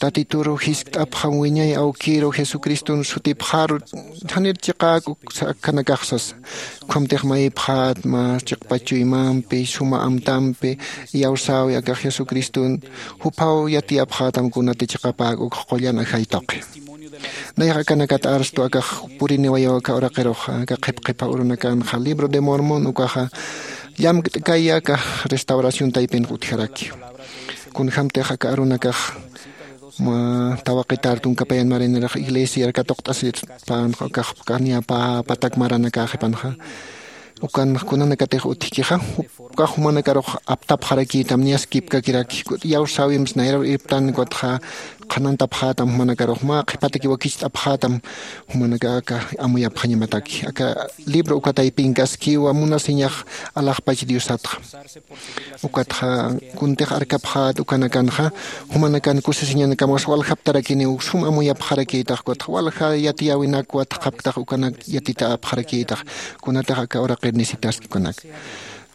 Tatituru jiskt'apxam wiñay awkiru jesucriston sutipxaru janir chiqäk uksa akhanakax sasa. Ukhamtix mayipxätma chiqpach chuymampi suma amtampi iyawsäwi akax jesucriston juphaw yatiyapxätam kunati chiqapäk ukx qullan ajay tuqi. Nayax akanakat arstu akax puriniwayaw aka uraqiruxa aka qhipqhipha urunakanxa libro de mormon ukaxa llamkt'kaya aka restauración taypinx utjaraki. Kunjämtix aka arunakax mä tawaqitar tunka payan marinirax iglesiar katuqt'asirpänxa ukax niyapä patak maranakaxipanxa ukan kunanakatix utjkixa ukax jumanakarux aptapxarakïtam niyaskipkakiraki. Iyawsäwimps nayraw irptan ukatxa qhanantapxätam jumanakarux mä qhipataki wakicht'apxätam jumanaka aka amuyapxañamataki aka libro uka taypinkaskiwa munasiñax alaxpach diosatxa. Ukatxa kuntix arkapxät ukanakanxa jumanakan kusisiñanakamas waljaptarakiniw sum amuyapxarakïtax ukatxa walja yatiyäwinak watxapktax ukanak yatitapxarakïtax kunatix aka uraqir necesitaski ukanak.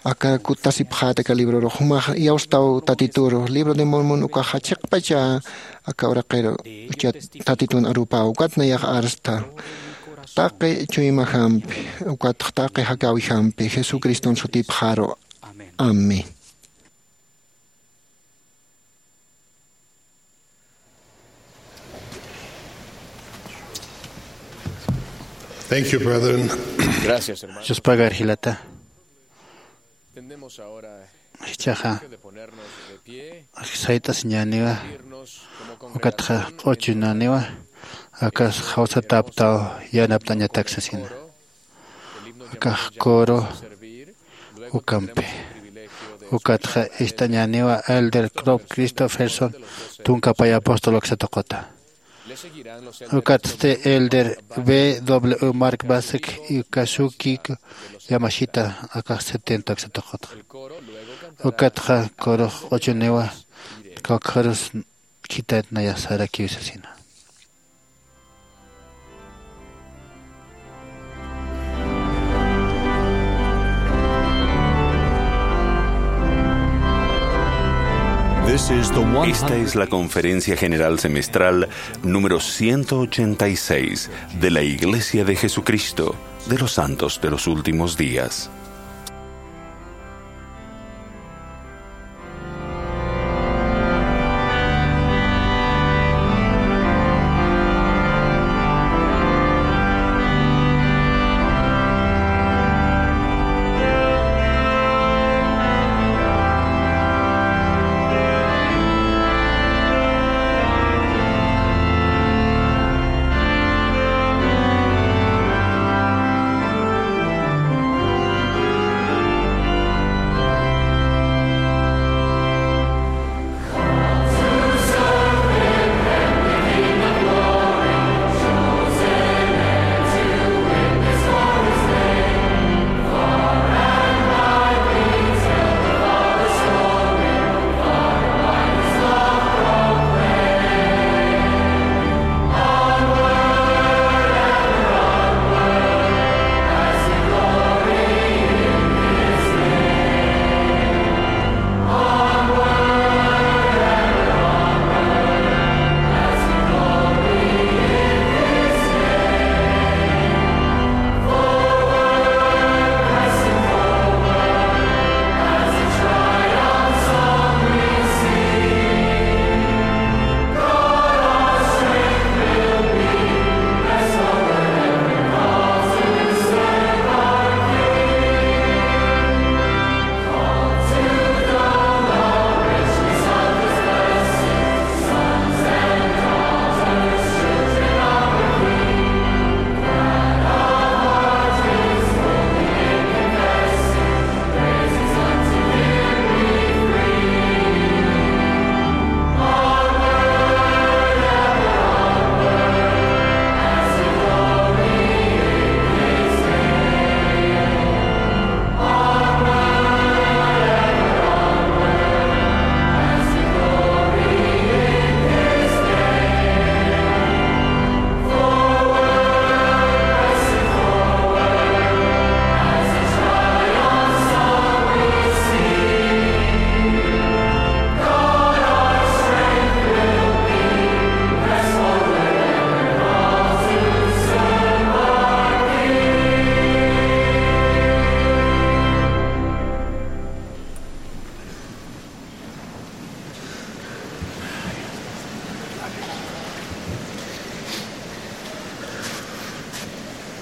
Aka kuttasipxät aka librorux jumax iyawstaw tatituru libro de mormon ukaxa chiqpacha aka uraqiru uchat tatitun arupäw ukat nayax arsta taqi chuymajampi ukatx taqi jakäwijampi jesucriston sutipxaru. Amén. Thank you, brethren. Gracias, hermano. Dios pagar jilata. Tendemos ahora el Ichaxa privilegio de ponernos de pie, sayt'asiñäniwa irnos como ukatxa congregación q'uchunäniwa akas jawsataptaw yanapt'añatak sasina. Akax coro ukampi ukatxa ist'añäniwa elder crop christopherson tunka pay apóstol aksatuquta. Ukatsti elder b w mark basek y kasuki yamashita akax setenta aksatuqutxa. Ukatxa corox q'uchuniwa kawkharus khitat nayax sarakiw sasina. Esta es la conferencia general semestral número ciento ochenta y seis de la Iglesia de Jesucristo de los Santos de los Últimos Días.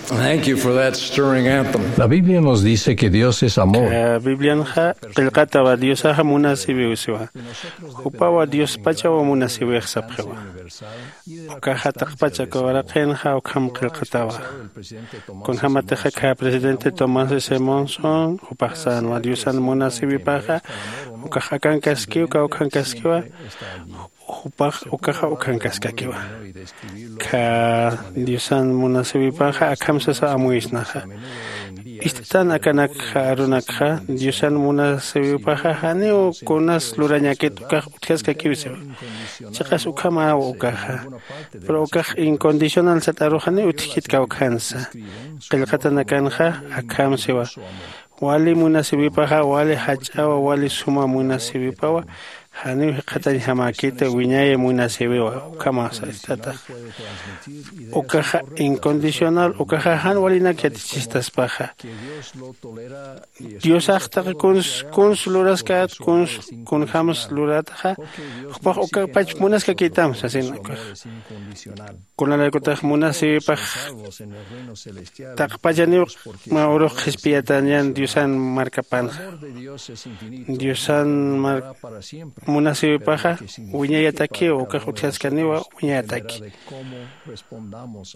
Thank you for that stirring anthem. La Biblia nos dice que Dios es amor. Aka Biblianxa qillqatawa Diosaxa munasiwiw siwa. Jupawa Diospachaw munasiwix sapxiwa. Ukaxa taqpach aka uraqinxa ukham qillqatawa. Kunjämatixa aka presidente Thomas S. Monson, jupax sänwa Diosan munasiwipaxa ukax akankaskiw, kawkhankaskiwa, jupax ukaxa ukhankaskakiwa. Aka Diosan munasiwipaxa akham sasa amuyisnaxa. Ist'tan akanakxa arunakxa Diosan munasiwipaxa janiw kunas lurañakit ukax utjaskakiw siwa. Chiqas ukhamaw ukaxa. Pero ukax incondicional sat aru janiw utjkit kawkhansa. Qillqatanakanxa akham siwa. Wali munasiwipaxa, wali jach'awa, wali suma munasiwipawa, janiw jikxatañjamäkita wiñay munasiwiwa, ukhamaw sast'ataxa. Ukaxa incondicional, ukaxa jan walinak yatichistaspaxa. Diosax taqi kuns, kuns luraskät, kuns, kunjams lurataxa, jupax ukapach munaskakitam sasin ukax. Kunalaykutix munasiwipax taqpachaniw mä urux qhispiyatäñan Diosan markapanxa. Diosan mar-, munasiwipaxa wiñayatakiw, ukax utjaskaniwa wiñayataki.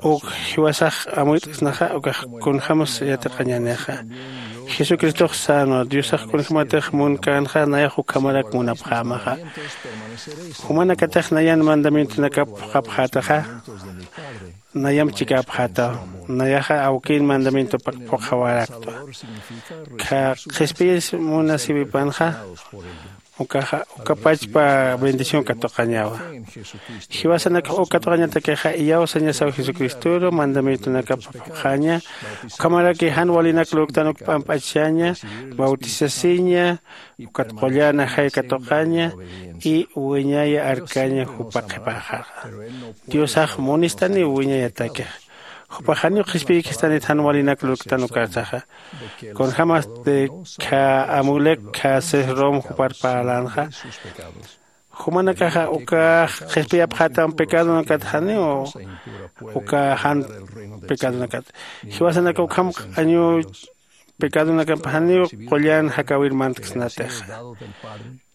Uk jiwasax amuyt'snaxa, ukax kunjämsa yatiqañänixa. Jesucristox sänwa, Diosax kunjämatix munkänxa, nayax ukhamarak munapxämaxa. Jumanakatix nayan mandamientonakap phuqhapxätaxa, nayamp chikäpxätaw. Nayaxa awkin mandamientopak phuqhawaraktwa. Aka qhispiyis munasiwipanxa, Ukaxa uka pachpa bendición katuqañawa. Jiwasanakax uk katuqañatakixa iyawsañasaw jesucristoru mandamientonakap phuqhaña. Ukhamaraki jan walinak lurktan uk p'amp'achaña, bautisasiña, ukat qullan ajay katuqaña y wiñaya arkaña jupa qhipaxaxa. Diosax munistaniw wiñayatakixa. Jupax janiw qhispiykistanit jan walinak lurktan ukarsaxa. Kunjämasti khä amulek khä sesrom jupar parlänxa. Jumanakaxa ukax qhispiyapxätam pecadonakat janiw uka jan pecadonakat. Jiwasanaka ukham q'añu pecadonakamp janiw qullan jakäwir mantksnatixa.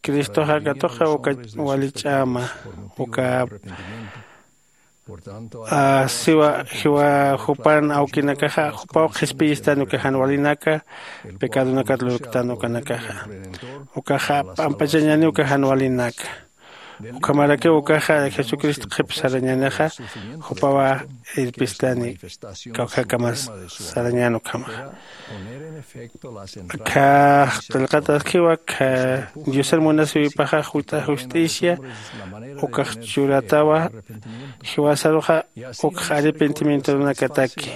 Cristoxa katuqa uka wali ch'ama uka siwa jiwa jupan awkinakaxa jupaw qhispiyistan uka jan walinaka pecadonakat lurktan ukanakaxa. Ukaxa p'ampachañani uka jan walinaka. Ukhamarakiw ukaxa jesucristo qhip sarañänixa jupawa irpistani kawkhakamas sarañän ukhamaxa. Khä qillqataskiwa khä diosan munasiwipaxa jut'a justicia ukax churatawa. Jiwasaruxa ukx arrepentimientonakataki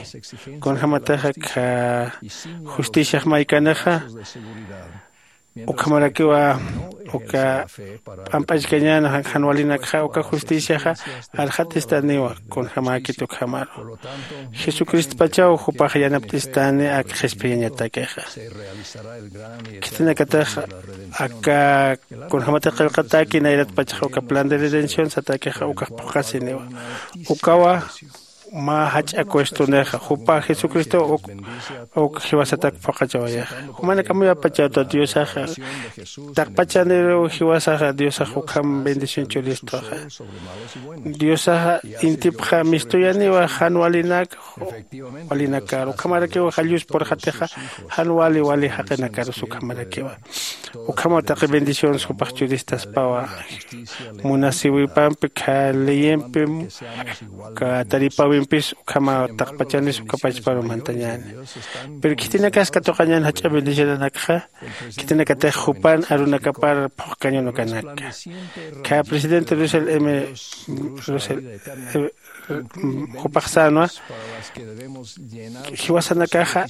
kunjämatixa khä justiciax maykanixa. Ukhamarakiwa uka p'amp'achkañän jan walinakxa uka justiciaxa arxatistaniwa kunjämäkit ukhamaru. Jesucristopachaw jupax yanapt'istani ak qhispiyañatakixa. Khitinakatix aka kunjämatix qillqatäki nayratpachaxa uka plan de redención satakixa ukax phuqhasiniwa. Ukawa mä jach'a cuestonixa jupa jesucristow uk uk jiwasatak phuqhachawayixa. Jumanakamayapachawta diosaxa taqpachaniruw jiwasaxa diosax ukham bendición churistuxa. Diosaxa intipxa mistuyaniwa jan walinak walinakar ukhamarakiw jallus purxatixa jan wali wali jaqinakarus ukhamarakiwa. Ukhamaw taqi bendiciones jupax churistaspawa. Munasiwipampi khä leyempim khä taripäwimpis ukhamaw taqpachanis uka pachparu mantañäni. Pero khitinakas katuqañän jach'a bendicionanakxa khitinakatix jupan arunakapar phuqkañun ukanaka. Khä presidente russell m russell jupax sänwa jiwasanakaxa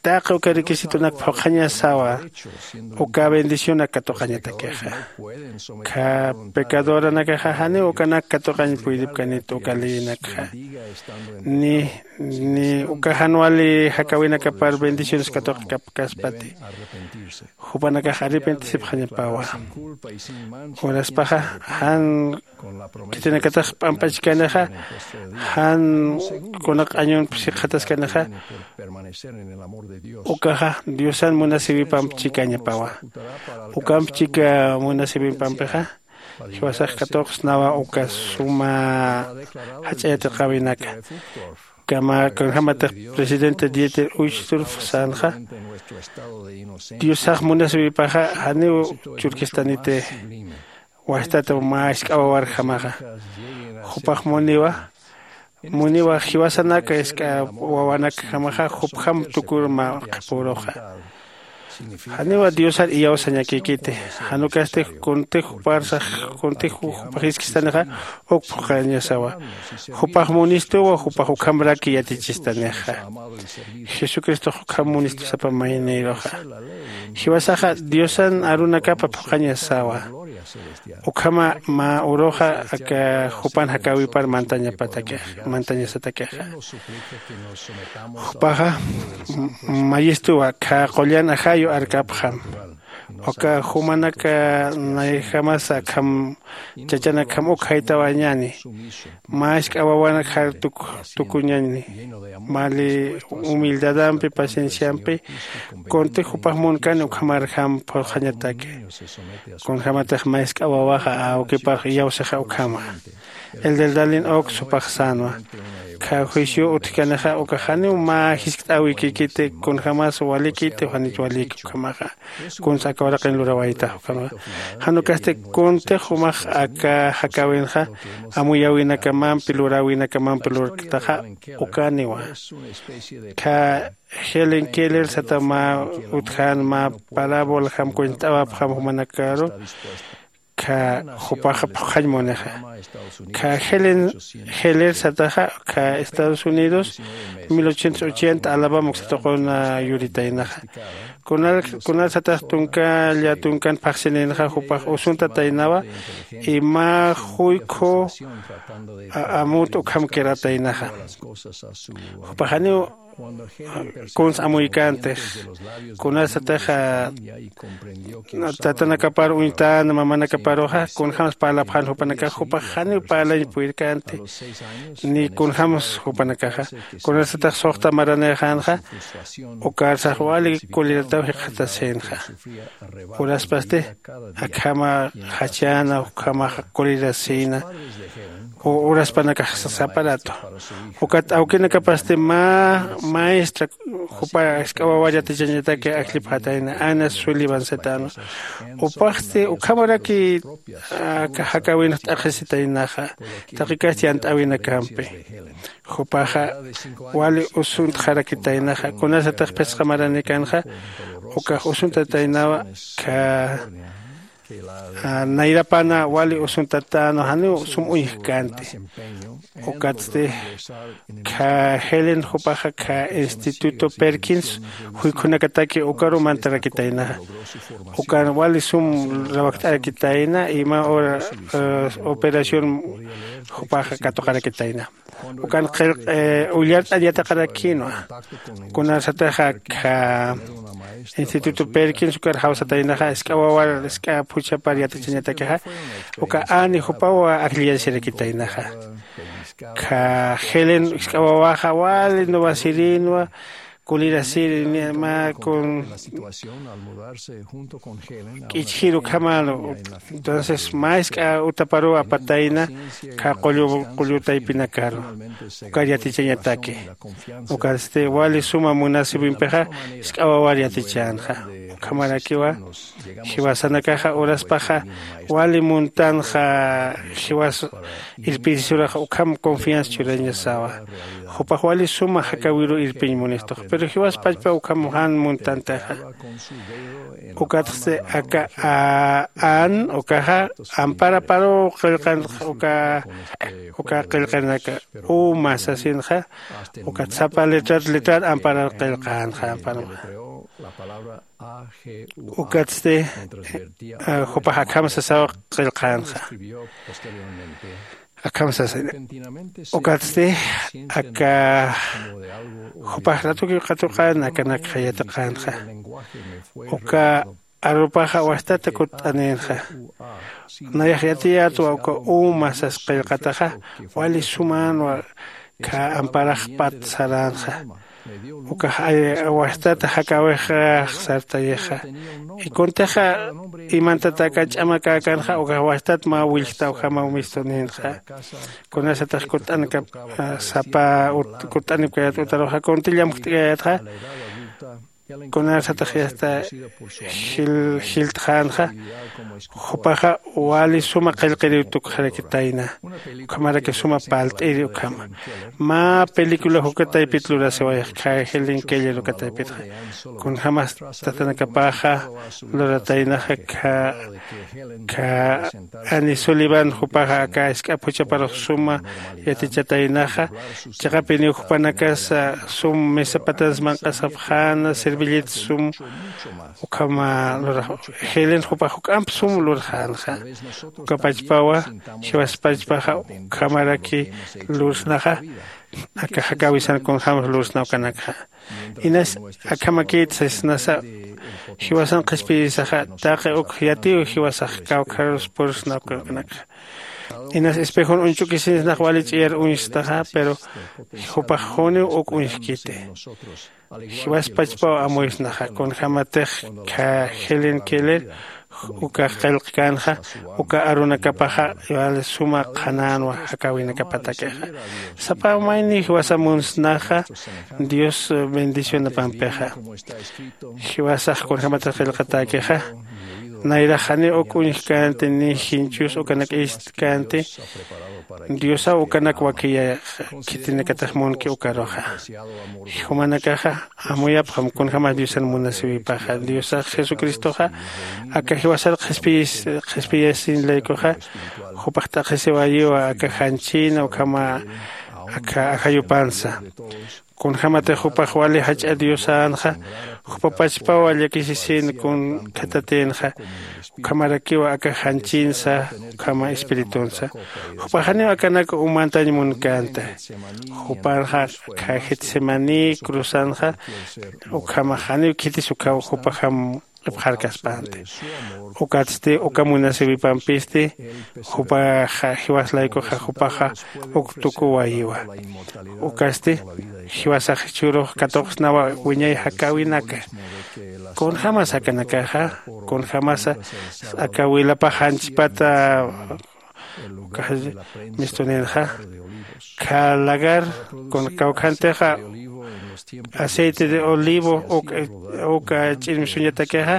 taqi uka requisitonak phuqhañasawa. Uka bendicionak katuqañatakixa khä pecadoranakaxa janiw ukanak katuqañ puydipkanit uka leyinakxa ni ni uka jan wali jakäwinakapar bendiciones katuqkapkaspati. Jupanakax arrepentisipxañapawa. Uraspaxa jan khitinakatix p'amp'achkanixa jan kuna q'añunp sikxataskanixa ukaxa diosan munasiwipamp chikañapawa. Ukamp chika munasiwipampixa jiwasax katuqsnawa uka suma jach'a yatiqäwinaka. Kama kunjämatix presidente dieter uchtdorf sänxa diosax munasiwipaxa janiw churkistaniti. Wajtat mä isk'a wawarjamaxa jupax muniwa muniwa jiwasanaka isk'a wawanakjamaxa jupjam tukur mä qhipuruxa. Janiwa diosar iyawsañakïkiti. Jan ukasti kuntix juparsax kuntix jupax jiskistanixa uk phuqhañasawa. Jupax munistuwa jupax ukhamraki yatichistanixa. Jesucristox ukham munistu sapa maynïruxa. Jiwasaxa diosan arunakapa phuqhañasawa. Ukhama mä uruxa aka jupan jakäwipar mantañapatakixa mantañasatakixa. Jupaxa mayistuwa khä qullan ajayu arkapxam. Uka jumanaka nayjamasa akham chachanakjam uk jaytawañäni. Mä isk'a wawanak jar tukuñäni. Mali humildadampi pacienciampi kuntix jupax munkani ukhamarjam phuqhañataki. Kunjämatix mä isk'a wawaxa awkipar iyawsixa ukhama. El del dalin uk supax sänwa kha juicio utjkanixa uka janiw mä jiskt'äwikïkiti kunjämas walikiti janich waliki ukhamaxa. Kunsa aka uraqin lurawaytax ukhama. Jan ukasti kuntix jumax aka jakäwinxa amuyäwinakamampi luräwinakamampi lurktaxa. Ukaniwa kha Helen Keller sata mä utjan mä parábola jam cuentawapxam jumanakaru. Kha jupaxa phuqhañ munixa kha Helen Heller sataxa kha Estados Unidos mil ochocientos ochenta Alabama uksatuquna yuritaynaxa. Kunal kunal satax tunka lla tunkan phaxsininxa jupax usuntataynawa y mä juykhu amut ukham quirataynaxa. Jupaxaniw kuns amuykantix kunasatix tatanakapar uñtan mamanakaparuxa kunjämsa parlapxän jupanakax jupax janiw parlañ purirkänti. Ni kunjämsa jupanakaxa kunasatix suxta maranïxänxa ukarsax wali kulirataw jikxatasïnxa. Uraspasti akhama jachäna ukhamaxa kulirasïna. Uraspanakax sasa aparato ukat awkinakapasti mä maestra jupa jisk'a wawar yatichañataki ajllipxatayna ana sullivan setano. Jupaxti ukhamaraki aka jakäwinx t'aqhisitaynaxa taqi kasti yant'äwinakampi. Jupaxa wali usuntxarakitaynaxa kunasatix phisqa maranïkänxa ukax usuntataynawa. Kha nayrapana wali usuntatänwa janiw sum uñjkänti. Ukatsti kha helen jupaxa kha instituto perkins juykhunakataki ukaru mantarakitaynaxa. Ukan wali sum rawakt'arakitayna ima operación jupaxa katuqarakitayna. Ukan qillq ullart'an yatiqarakïnwa. Kunasataxa kha instituto perkins ukar jawsataynaxa isk'a wawar isk'a phuchhapar yatichañatakixa uka ani jupaw ajlliyañsirakitaynaxa. Kha helen isk'a wawaxa wali nuwasirïnwa kulirasiri ni mä kun k'ichjir ukhamänu. Entonces mä jisk'a utaparuw apatayna kha qullu qullu taypinakaru ukar yatichañataki. Ukatsti wali suma munasiwimpixa jisk'a wawar yatichänxa. Ukhamarakiwa jiwasanakaxa uraspaxa wali muntanxa jiwas irpirisuraxa ukham confianza churañasawa. Jupax wali suma jakäwiruw irpiñ munistux pero jiwas pachpa ukham jan muntantaxa. Ukatxsti aka an ukaxa amparaparuw qillqanxa uka uka qillqanaka uma sasinxa. Ukat sapa letrat letrat amparar qillqänxa amparuxa. Ukatsti jupax akham sasaw qillqänxa. Akham sasina ukatsti aka jupax ratukiw qatuqän akanakxa yatiqänxa. Uka arupaxa wastata kutt'anïnxa. Nayax yatiyätwa uka uma sas qillqataxa wali sumänwa kha amparaxpat saränxa. Ukax wastata jakäwixax sartayixa. Ikuntixa imantataka ch'amakäkanxa ukax wastat mä willjta ukhamaw mistunïnxa. Kunasatix kutt'ankap sapa kutt'ankayät utaruxa kunti llamjt'kayätxa. Kunasatix yasta jiltxänxa. Jupaxa wali suma qillqiriw tukxarakitayna. Ukhamaraki suma palt'iri ukhama mä película jukataypit lurasiwayax kha helen keller ukataypitxa. Kunjämas tatanakapaxa lurataynaxa kha kha ani sullivan jupaxa aka isk'a phuchhaparux suma yatichataynaxa. Chiqapiniw jupanakasa sum mesapatans manq'asapxäna servilleta sum ukhama lurax helen jupax juk'amp sum lurxänxa. Ukapachpawa jiwaspachpaxa ukhamaraki lursnaxa. Aka jakäwisan kunjämsa lursna ukanakxa. Inas akhamakït sasnasa jiwasan qhispiyirisaxa taqi uk yatiw jiwasax kawkharus pursna ukanakxa. Inas espejon uñch'ukisinsnax wali ch'iyar uñstaxa pero jupax juniw uk uñjkiti. Jiwaspachpaw amuysnaxa kunjämatix kha helen keller uka qillqkänxa uka arunakapaxa wali suma qhanänwa jakäwinakapatakixa. Sapa mayni jiwasa munsnaxa dios bendicionapampixa. Jiwasax kunjämatix qillqatäkixa nayrax janiw uk uñjkänti ni jinchus ukanak ist'känti. Diosaw ukanak wakiya khitinakatix munki ukaruxa. Jumanakaxa amuyapxam kunjämas diosan munasïwipaxa diosax jesucristoxa aka jiwasar qhispiyasin laykuxa jupax t'aqhisiwayiwa aka janchïna ukhama aka ajayupansa. Kunjämatix jupax wali jach'a diosänxa jupapachpawa llakisisïn kun khatatïnxa ukhamarakiwa aka janchïnsa ukhama espiritunsa. Jupax janiw akanak umantañ munkänta. Jupanxa akha getsemaní cruzanxa ukhamax janiw khitis ukhaw jupajam q'ipxarkaspänti. Ukatsti uka munasïwipampisti jupaxa jiwas laykuxa jupaxa uk tukuwayiwa. Ukasti jiwasax jichhürux katuqsnawa wiñay jakäwinaka. Kunjämas akanakaxa kunjämasa aka wilapax janchpata uka mistuninxa kha lagar kun kawkhantixa aceite de olivo uka ch'irmsuñatakixa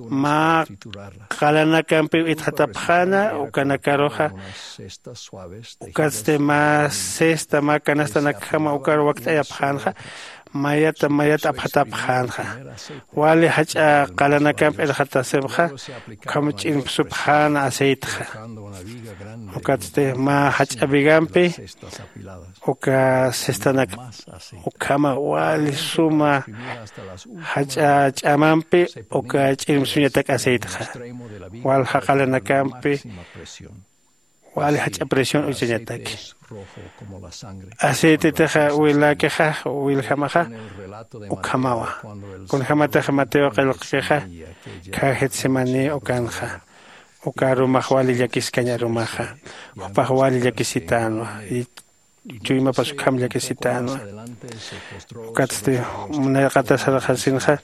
mä qalanakampiw itxatapxäna ukanakaruxa. Ukatsti mä cesta mä canastanakjama ukar wakt'ayapxänxa mayata mayat apxatapxänxa. Wali jach'a qalanakamp irxatasipxa ukham ch'impsupxäna aceitexa. Ukatsti mä jach'a vigampi uka cestanak ukhama wali suma jach'a ch'amampi uka ch'impsuñatak aceitexa walja qalanakampi wali jach'a presión uchañataki. Aceitetix wiläkixa wiljamaxa ukhamawa. Kunjämatix mateo qillqkixa khä getsemaní ukanxa uka arumax wali llakiskañ arumaxa jupax wali llakisitänwa. Chuymapas ukham llakisitänwa. Ukatsti munayqatasarxasinxa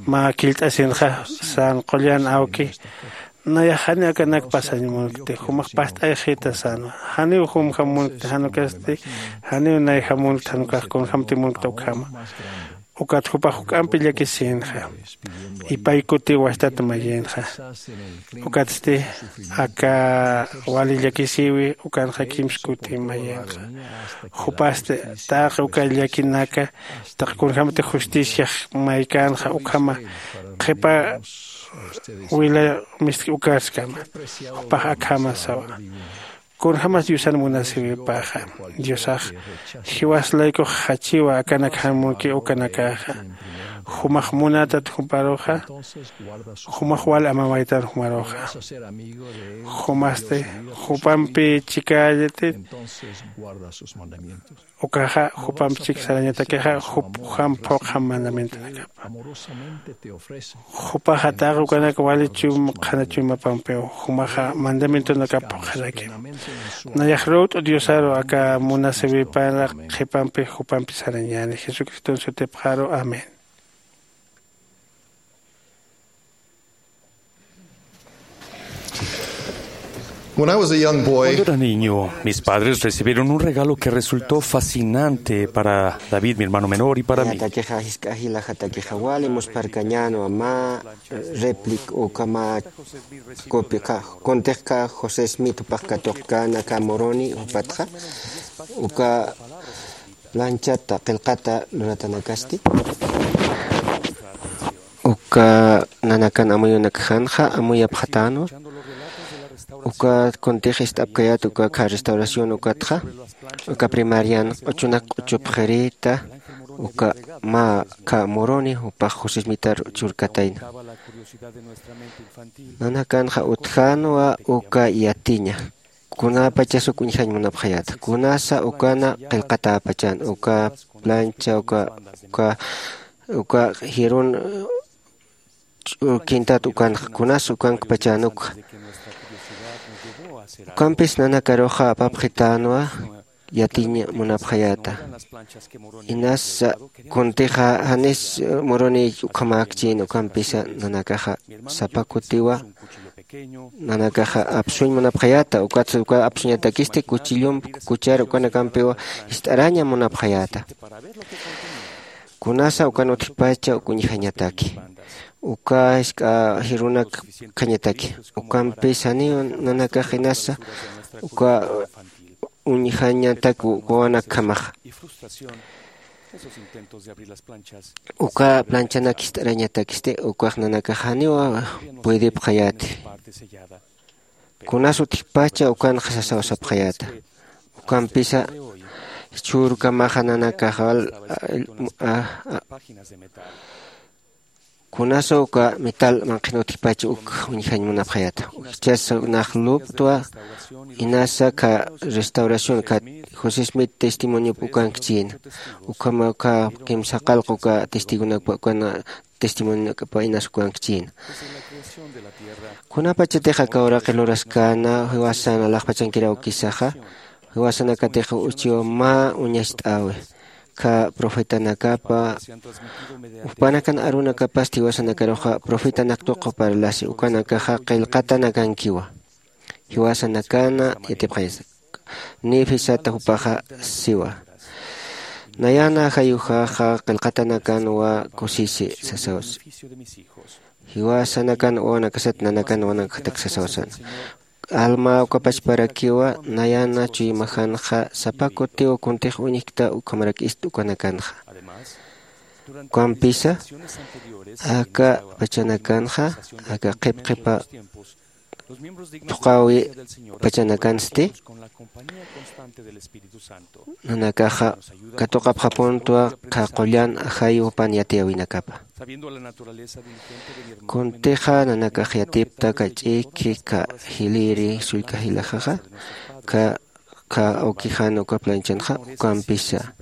mä killt'asinxa san qullan awki nayax janiw akanak pasañ munkti jumax past'ayxita sänwa. Janiw jumjam munkti jan ukasti janiw nayjam munkti jan ukax kunjämti munkta ukhama. Ukat jupax juk'ampi llakisïnxa ipay kutiw wastat mayïnxa. Ukatsti aka wali llakisïwi ukanxa kimsa kuti mayïnxa. Jupasti taqi uka llakinaka taqi kunjämati justiciax maykänxa ukhama qhipa wila mistki ukaskama. Jupax akhama sawa kunjämas diosan munasïwipaxa diosax jiwas laykux jachiwa akanak jan munki ukanakaxa. Jumax munätat juparuxa jumax wal amamaytan jumaruxa. Jumasti jupampi chikallati ukaxa jupamp chik sarañatakixa jup jam phuqjam mandamientonakapa. Jupaxa taqi ukanak wali chum qhana chuymapampiw jumaxa mandamientonakap phuqjarakim. Nayax ruwt'u diosaru aka munasïwipana qhipampi jupampi sarañäni jesucriston sutipxaru amén. When I was a young boy, Cuando era niño, mis padres recibieron un regalo que resultó fascinante para David, mi hermano menor, y para mí. Ñatakixa jisk'a jila jatakixa wali muspharkañänwa mä replic uka mä copia kuntix ka José Smith jupax katuqkän aka Moroni jupatxa uka planchata qillqata luratanakasti. Uka nanakan amuyunakjanxa amuyapxatänwa. Uka kuntix ist'apkayät uka kha restauración ukatxa uka primarian q'uchunak q'uchupxirïta uka mä kha Moroni jupax José Smithar churkatayna. Nanakanxa utjänwa uka yatiña kunäpachas uk uñjañ munapxayäta kunasa ukana qillqatäpachan uka plancha uka uka uka jirun ch'urkintat ukanxa kunasa ukankpachan ukxa. Ukampis nanakaruxa apapxitänwa yatiñ munapxayäta. Inasa kuntixa janis muruni ukhamäkchïn ukampisa nanakaxa sapa kutiwa nanakaxa apsuñ munapxayäta. Ukatsa uka apsuñatakisti kuchillump kuchar ukanakampiwa jist'araña munapxayäta. Kunasa ukan utjpacha uk uñjañataki uka jisk'a jirunak khañataki ukampis janiw nanakax inasa uka uñjañatak wawanakjamaxa. Uka planchanak jist'arañatakisti ukax nanakax janiw puedipxayäti. Kunas utjpacha ukanxa sasawsapxayäta. Ukampisa jichhürkamaxa nanakaxal kunasa uka metal manqhin utjpacha uk uñjañ munapxayäta. Ujchasa nax luptwa inasa kha restauración kha josé smith testimoniop ukankchïna. Ukhama ukha kimsaqalq uka testigonakpa ukana testimoniopa inas ukankchïna. Kunapachatixa kawraqi luraskäna jiwasan alaxpachankiraw kisaxa jiwasanakatix uchiwa mä uñacht'äwi kha profetanakapa jupanakan arunakapasti jiwasanakaruxa profetanak tuqu parlasi ukanakaxa qillqatanakankiwa. Jiwasanakana yatipxayasa nifisata jupaxa siwa. Nayana jayujaxa qillqatanakanwa kusisi sasawsi. Jiwasanakan wawanakasat nanakan wawanakatak sasawsana. Alma ukapachparakiwa nayana chuymajanxa sapa kutiw kuntix uñjkta ukhamarak ist ukanakanxa. Ukampisa aka pachanakanxa aka qhipqhipa thuqawi pachanakansti nanakaxa katuqapxapuntwa qhaqullan ajayu jupan yatiyäwinakapa. Kuntixa nanakax yatipta kach'iki ka jiliri sullka jilaxaxa ka ka awkijan uka planchanxa ukampisa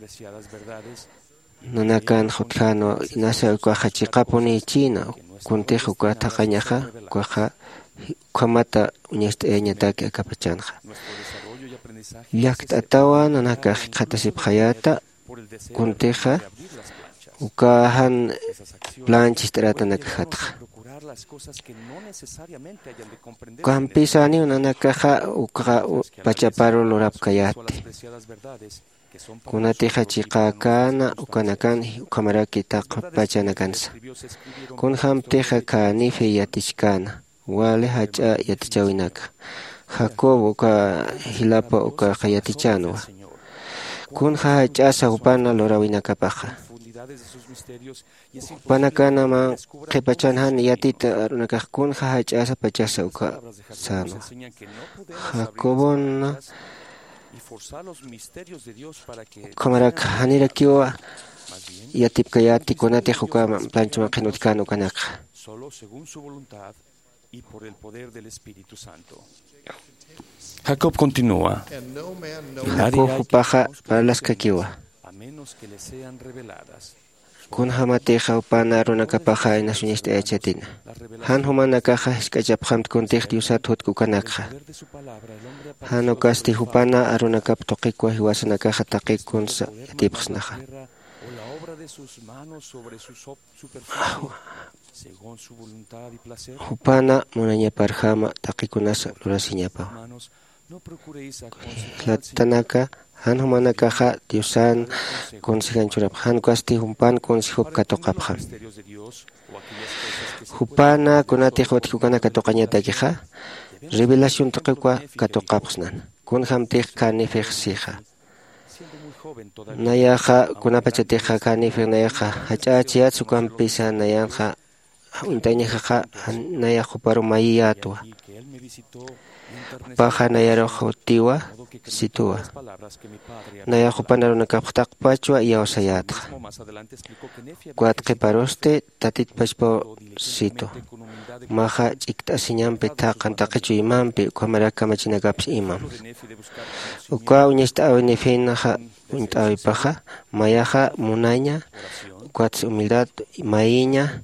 nanakan jutjänwa inasa ukaxa chiqapunïchïna. Kuntix uka thaqañaxa ukaxa ukhamata uñacht'ayañataki akapachanxa. Llakt'atawa nanakax jikxatasipxayäta kuntixa uka jan plancha jist'aratanakajatxa. Ukampisa janiw nanakaxa uka pachaparu lurapkayäti. Kunatixa chiqäkäna ukanakan ukhamaraki taqpachanakansa. Kunjämtixa kanifi yatichkäna wali jach'a yatichäwinaka jacob uka jilapa ukaxa yatichänwa. Kunja jach'asa jupana luräwinakapaxa jupanakanama qhipachan jan yatit arunakax kunja jach'asa pachasa uka sänwa. Jacobona ukhamarak janirakiwa yatipkayäti kunatix uka plancha manqhin utjkän ukanakxa. Jacob continúa. Jacob jupaxa parlaskakiwa. Kunjämatixa jupana arunakapaxa inasuñacht'ayachatina jan jumanakaxa jisk'achapxamt kuntix diosat jutk ukanakxa. Jan ukasti jupana arunakap tuqikwa jiwasanakaxa taqi kunsa yatipxsnaxa. Jupana munañaparjama taqi kunasa lurasiñapawa. Jlatanaka jan jumanakaxa diosan consejan churapxa jan ukasti jumpan consejopi katuqapxam. Jupana kunatix utjki ukanak katuqañatakixa revelación tuqikwa katuqapxsnan. Kunjämtix känifix sixa nayaxa kunapachatixa känifix nayaxa jach'ächiyäts ukampisa nayanxa uñt'añajaxa nayax juparu mayiyätwa. Jupaxa nayarux jutiwa situwa. Nayax jupan arunakapx taqpachwa iyawsayätxa. Ukat qhiparusti tatit pachpaw situ. Maxa ch'ikt'asiñampi thaqan taqi chuymampi ukhamarak kamachinakapsa imam. Uka uñacht'äwiniphinxa uñt'äwipaxa mayaxa munaña ukatsa humildad mayiña,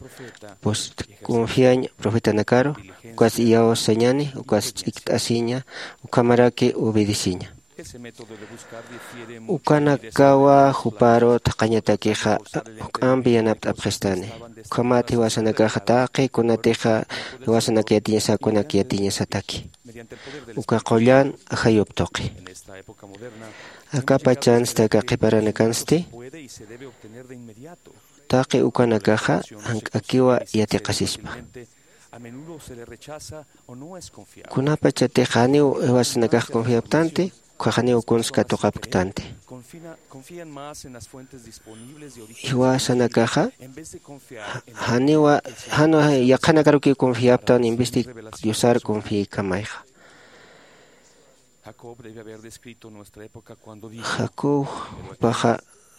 confiañ profetanakaru ukatsa iyawsañani ukatsa ch'ikt'asiña ukhamaraki obedeciña. Ukanakawa juparu thaqhañatakixa juk'ampi yanapt'apxistani. Ukhamat jiwasanakaxa taqi kunatixa jiwasanak yatiñasakunak yatiñasataki uka qullan ajayup tuqi. Aka pachansti aka qhiparanakansti taqi ukanakaxa jank'akiwa yatiqasispa. Kunapachatix janiw jiwasanakax confiaptanti ukhax janiw kuns katuqapktanti. Jiwasanakaxa janiwa jan yaqhanakarukiw confiaptan en vez de diosar confiaykamayxa. Jacob jupaxa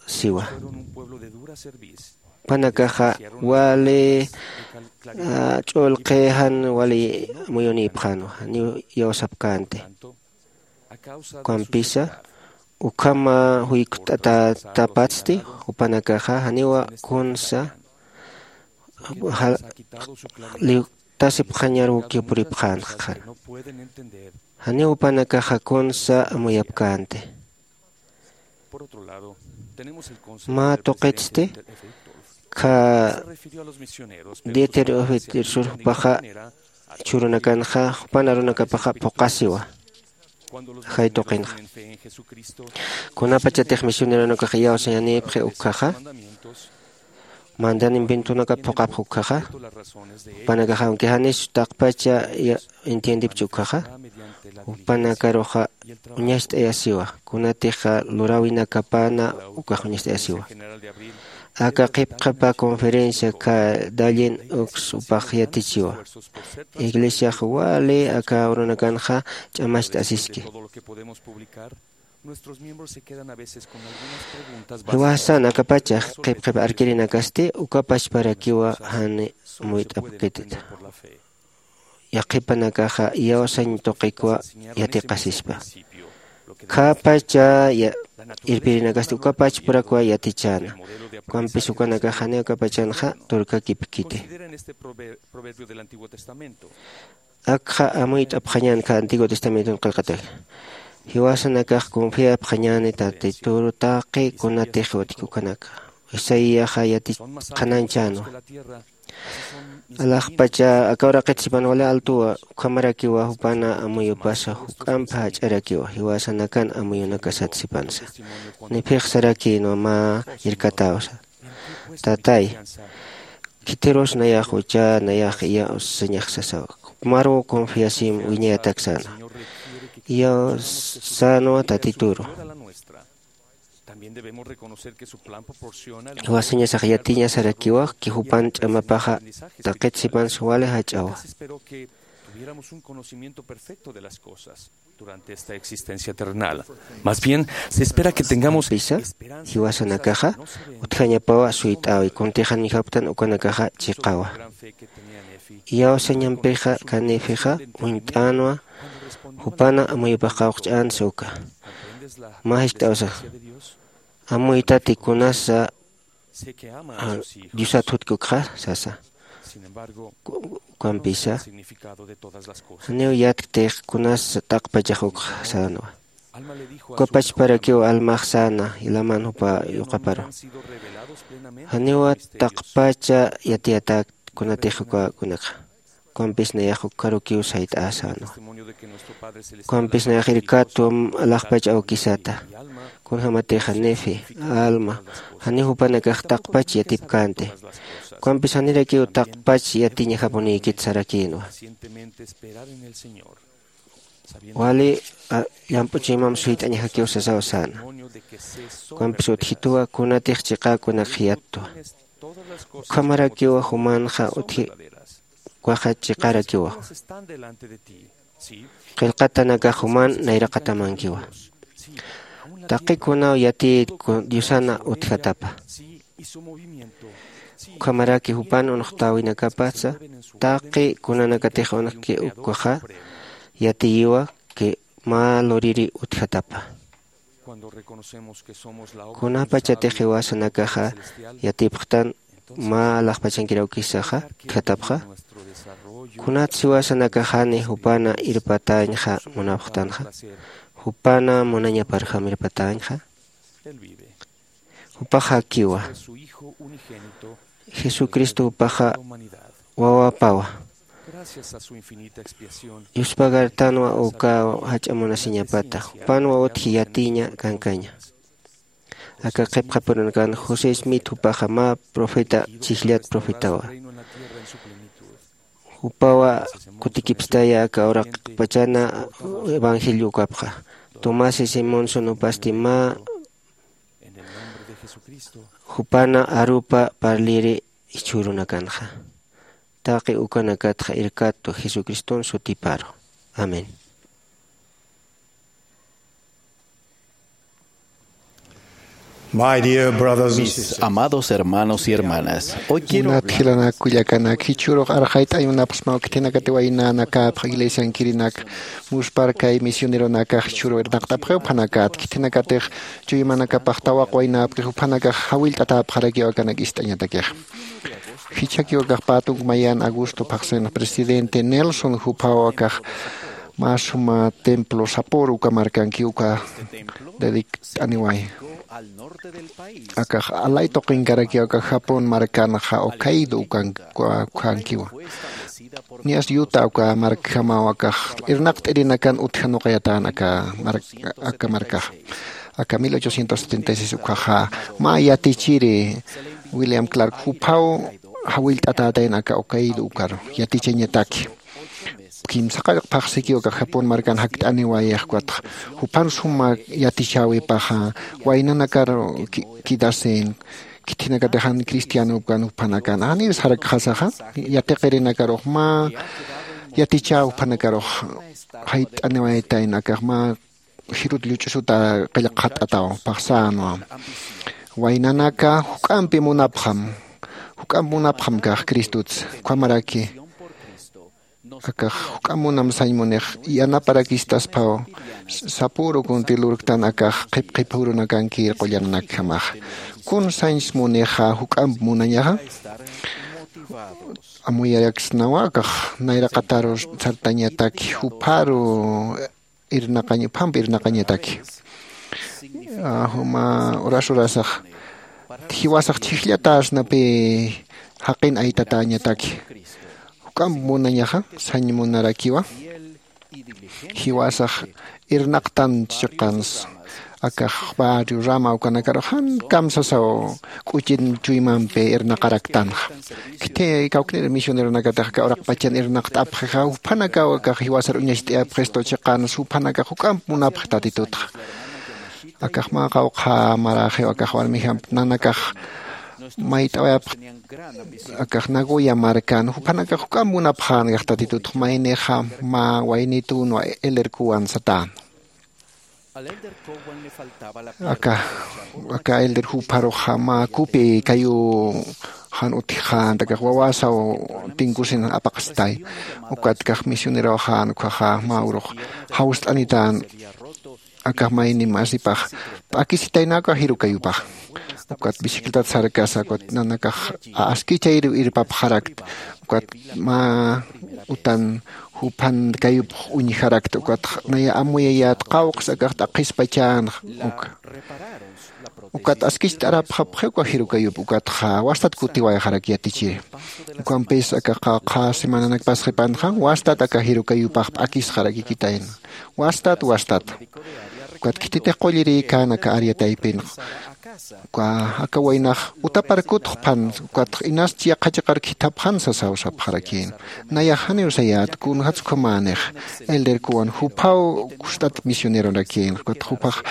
siwa, jupanakaxa wali ch'ulqi jan wali muyunïpxänwa, janiw iyawsapkänti. Ukampisa ukhama juykt'atätapatsti jupanakaxa janiwa kunsa liwtasipxañarukiw puripxänxa. Janiw jupanakaxa kunsa amuyapkänti. Mä tuqitsti kha dieter ufetir sur jupaxa chhurunakanxa jupan arunakapaxa phuqasiwa. Jay tuqinxa kunapachatix misioneronakax iyawsañanïpxi ukkhaxa mandan inventonakap phuqapxi ukkhaxa, jupanakaxa aunque janis taqpacha entiendipchi ukkhaxa, jupanakaruxa uñacht'ayasiwa. Kunatixa luräwinakapana ukax uñacht'ayasiwa. Aka qhipqhipa conferencia kha dallin uks upax yatichiwa. Iglesiax wali aka urunakanxa ch'amacht'asiski. Jiwasan akapachax qhipqhip arkirinakasti uka pachparakiwa jani muyt'apkitita. Yaqhipanakaxa iyawsañ tuqikwa yatiqasispa. Khapacha irpirinakasti ukapachpurakwa yatichäna. Ukampis ukanakax janiw akapachanxa turkakipkiti. Akxa amuyt'apxañän kha antiguo testamenton qillqataki. Jiwasanakax confiapxañäni tatituru taqi kunatix utjki ukanaka. Isaiaxa yatich qhanañchänwa. Alaxpacha aka uraqit sipan wali altuwa ukhamarakiwa jupana amuyupasa juk'amp jach'arakiwa jiwasanakan amuyunakasat sipansa. Nipix sarakïnwa mä irkatäwsa. Tatay, khitirus nayax uchä nayax iyawsañax sasaw. Jupmaruw confiasim wiñayatak säna. Iyawsänwa tatituru. Jiwasañasax yatiña sarakiwa ki jupan ch'amapaxa taqit sipansa wali jach'awa. Durante esta existencia terrenal. Más bien, se espera que tengamos pisa jiwasanakaxa utjañapawa suyt'äwi kuntix janijapktan ukanakaxa chiqawa. Iyawsañampixa kanifixa uñt'änwa jupana amuyupax qawqch'änsa uka. Mä jiskt'awsa amuytati kunasa diosat jutki ukxa sasa. Ukampisa janiw yatkti kunasa taqpachax ukxa sänwa. Uka pachparakiw almax säna jilaman jupa yuqaparu. Janiwa taqpacha yatiyatäkti kunatix ukakunakxa. Ukampis nayax ukkarukiw sayt'ä sänwa. Ukampis nayax irkatwa alaxpach awkisata. Kunjämatixa nefe, alma, janiw jupanakax taqpach yatipkänti. Ukampis janirakiw taqpach yatiñajapunïkit sarakïnwa. Wali llamp'u chuymamp suyt'añajakiw sasaw säna. Ukampis utjituwa kunatix chiqäkunak jiyattwa. Ukhamarakiwa jumanxa utji ukaxa chiqarakiwa. Qillqatanakax juman nayraqatamankiwa. Taqi kunaw yatiyit diosana utjatapa. Ukhamaraki jupan unuxtäwinakapasa taqi kunanakatix unuxki ukaxa yatiyiwa ki mä luriri utjatapa. Kunapachatix jiwasanakaxa yatipxtan mä alaxpachankir awkisaxa utjatapxa. Kunatsa jiwasanakaxani jupana irpatäñxa munapxtanxa. Jupana munañaparjam irpatäñxa. Jupaxa akiwa. Jesucristo jupaxa wawapawa. Yuspagartanwa uka jach'a munasiñapata jupanwa utji yatiña kankaña. Aka qhipqapurinakan José Smith jupaxa mä profeta chijllat profetawa. Jupawa kutikipstaya aka uraqpachana evangelio ukapxa. Tomás y Simón sunupasti mä jupana arupa parliri jichhürunakanxa. Taqi ukanakatxa irkattu Jesucriston sutiparu. Amén. My dear brothers and sisters, amados hermanos y hermanas, hoy quiero hablar. Munat jilanak kullakanak, jichhürux arxayt'añ munapxsmaw khithinakati waynanakapx iglesiankirinak, muspharkay misioneronakax jichhüru irnaqt'apxiw juphanakat, khithinakatix chuymanakapax tawaq waynäpkix juphanakax jawillt'atäpxarakiw akanak ist'añatakix. Jichhakiw akax pä tunk mayan agosto phaxsinx presidente Nelson juphaw akax mä suma templo sapüru uka markanki uka dedikt'aniway. Akax alay tuqinkarakiw aka Japón markanxa Hokkaido ukan-, uka-, ukankiwa. Niyas Utah uka markjamaw akax irnaqt'irinakan utjanuqayatän aka mark-, aka markaxa. Aka mil ochocientos setenta y seis ukkhaxa mä yatichiri William Clark juphaw jawillt'atätayna aka Hokkaido ukaru yatichañataki. Kimsa qallq phaxsikiw aka Japón markan jakt'aniwayix ukatxa. Juphan suma yatichäwipaxa waynanakar ki-, kidasin, khithinakatix jan cristianopkan juphanakan. Janir sarakxasaxa, yatiqirinakarux mä yatichäw juphanakarux jayt'aniwaytayna akax mä jirut lluch'usuta qillqxat'ataw phaxsänwa. Waynanaka juk'ampi munapxam, juk'amp munapxam kax Cristutsa, ukhamaraki. Akax juk'amp munam sañ munix yanaparakistaspaw, sapüru kunti lurktan akax qhip qhip jurunakankir qullananakjamaxa. Kun sañs munixa juk'amp munañaxa. Amuyaraksnawa akax nayraqataru sartañataki jupharu irnaqañ-, juphampi irnaqañataki. Ah, juma uras urasax, jiwasax chhijllatäsnapï jaqin aytatäñataki. Juk'amp munañaxa, sañ munarakiwa. Jiwasax irnaqtan chiqans, akax barrio rama ukanakarux jan kamsasaw k'uchin chuymampi irnaqaraktanxa. Khithi kawknir misioneronakatix aka uraqpachan irnaqt'apxixa, juphanakaw akax jiwasar uñacht'ayapxistu chiqans, juphanakax juk'amp munapxi Tatitutxa. Akax mä qawqha maraxiw akax warmijamp nanakax mayt'awayapx akax Nagoya markan, juphanakax juk'amp munapxän akax Tatitutx maynixa mä waynitüna Elder Cowan satän. Aka, aka Elder jupharuxa mä kupi kayu jan utjxän, akax wawasaw tinkusin apaqstay. Ukat akax misioneroxän, ukkhaxa mä urux jawst'anitän, akax mayni masipax p'akisitayna aka jiru kayupax. Ukat bicicletat sarkasa, ukat nanakax askichayriw irpapxarakt, ukat mä utan juphan kayupx uñjarakt, ukat naya amuyayät qawqs akax t'aqhispachänx, uka. Ukat askicht'arapxapxi uka jiru kayup, ukatxa wastat kutiwayxarak yatichiri. Ukampis aka qawqha semananak pasxipanxa, wastat aka jiru kayupax p'akisxarakikitayna. Wastat, wastat. Ukat khititix qullirïkän aka área taypinx. Uka, aka waynax utapar kutxpan, ukat inas yaqha chiqar khithapxan sasaw sapxarakïn. Nayax janiw sayät, kunjats ukhamänix, Elder Cowan juphaw kustat misionerorakïn, ukat jupax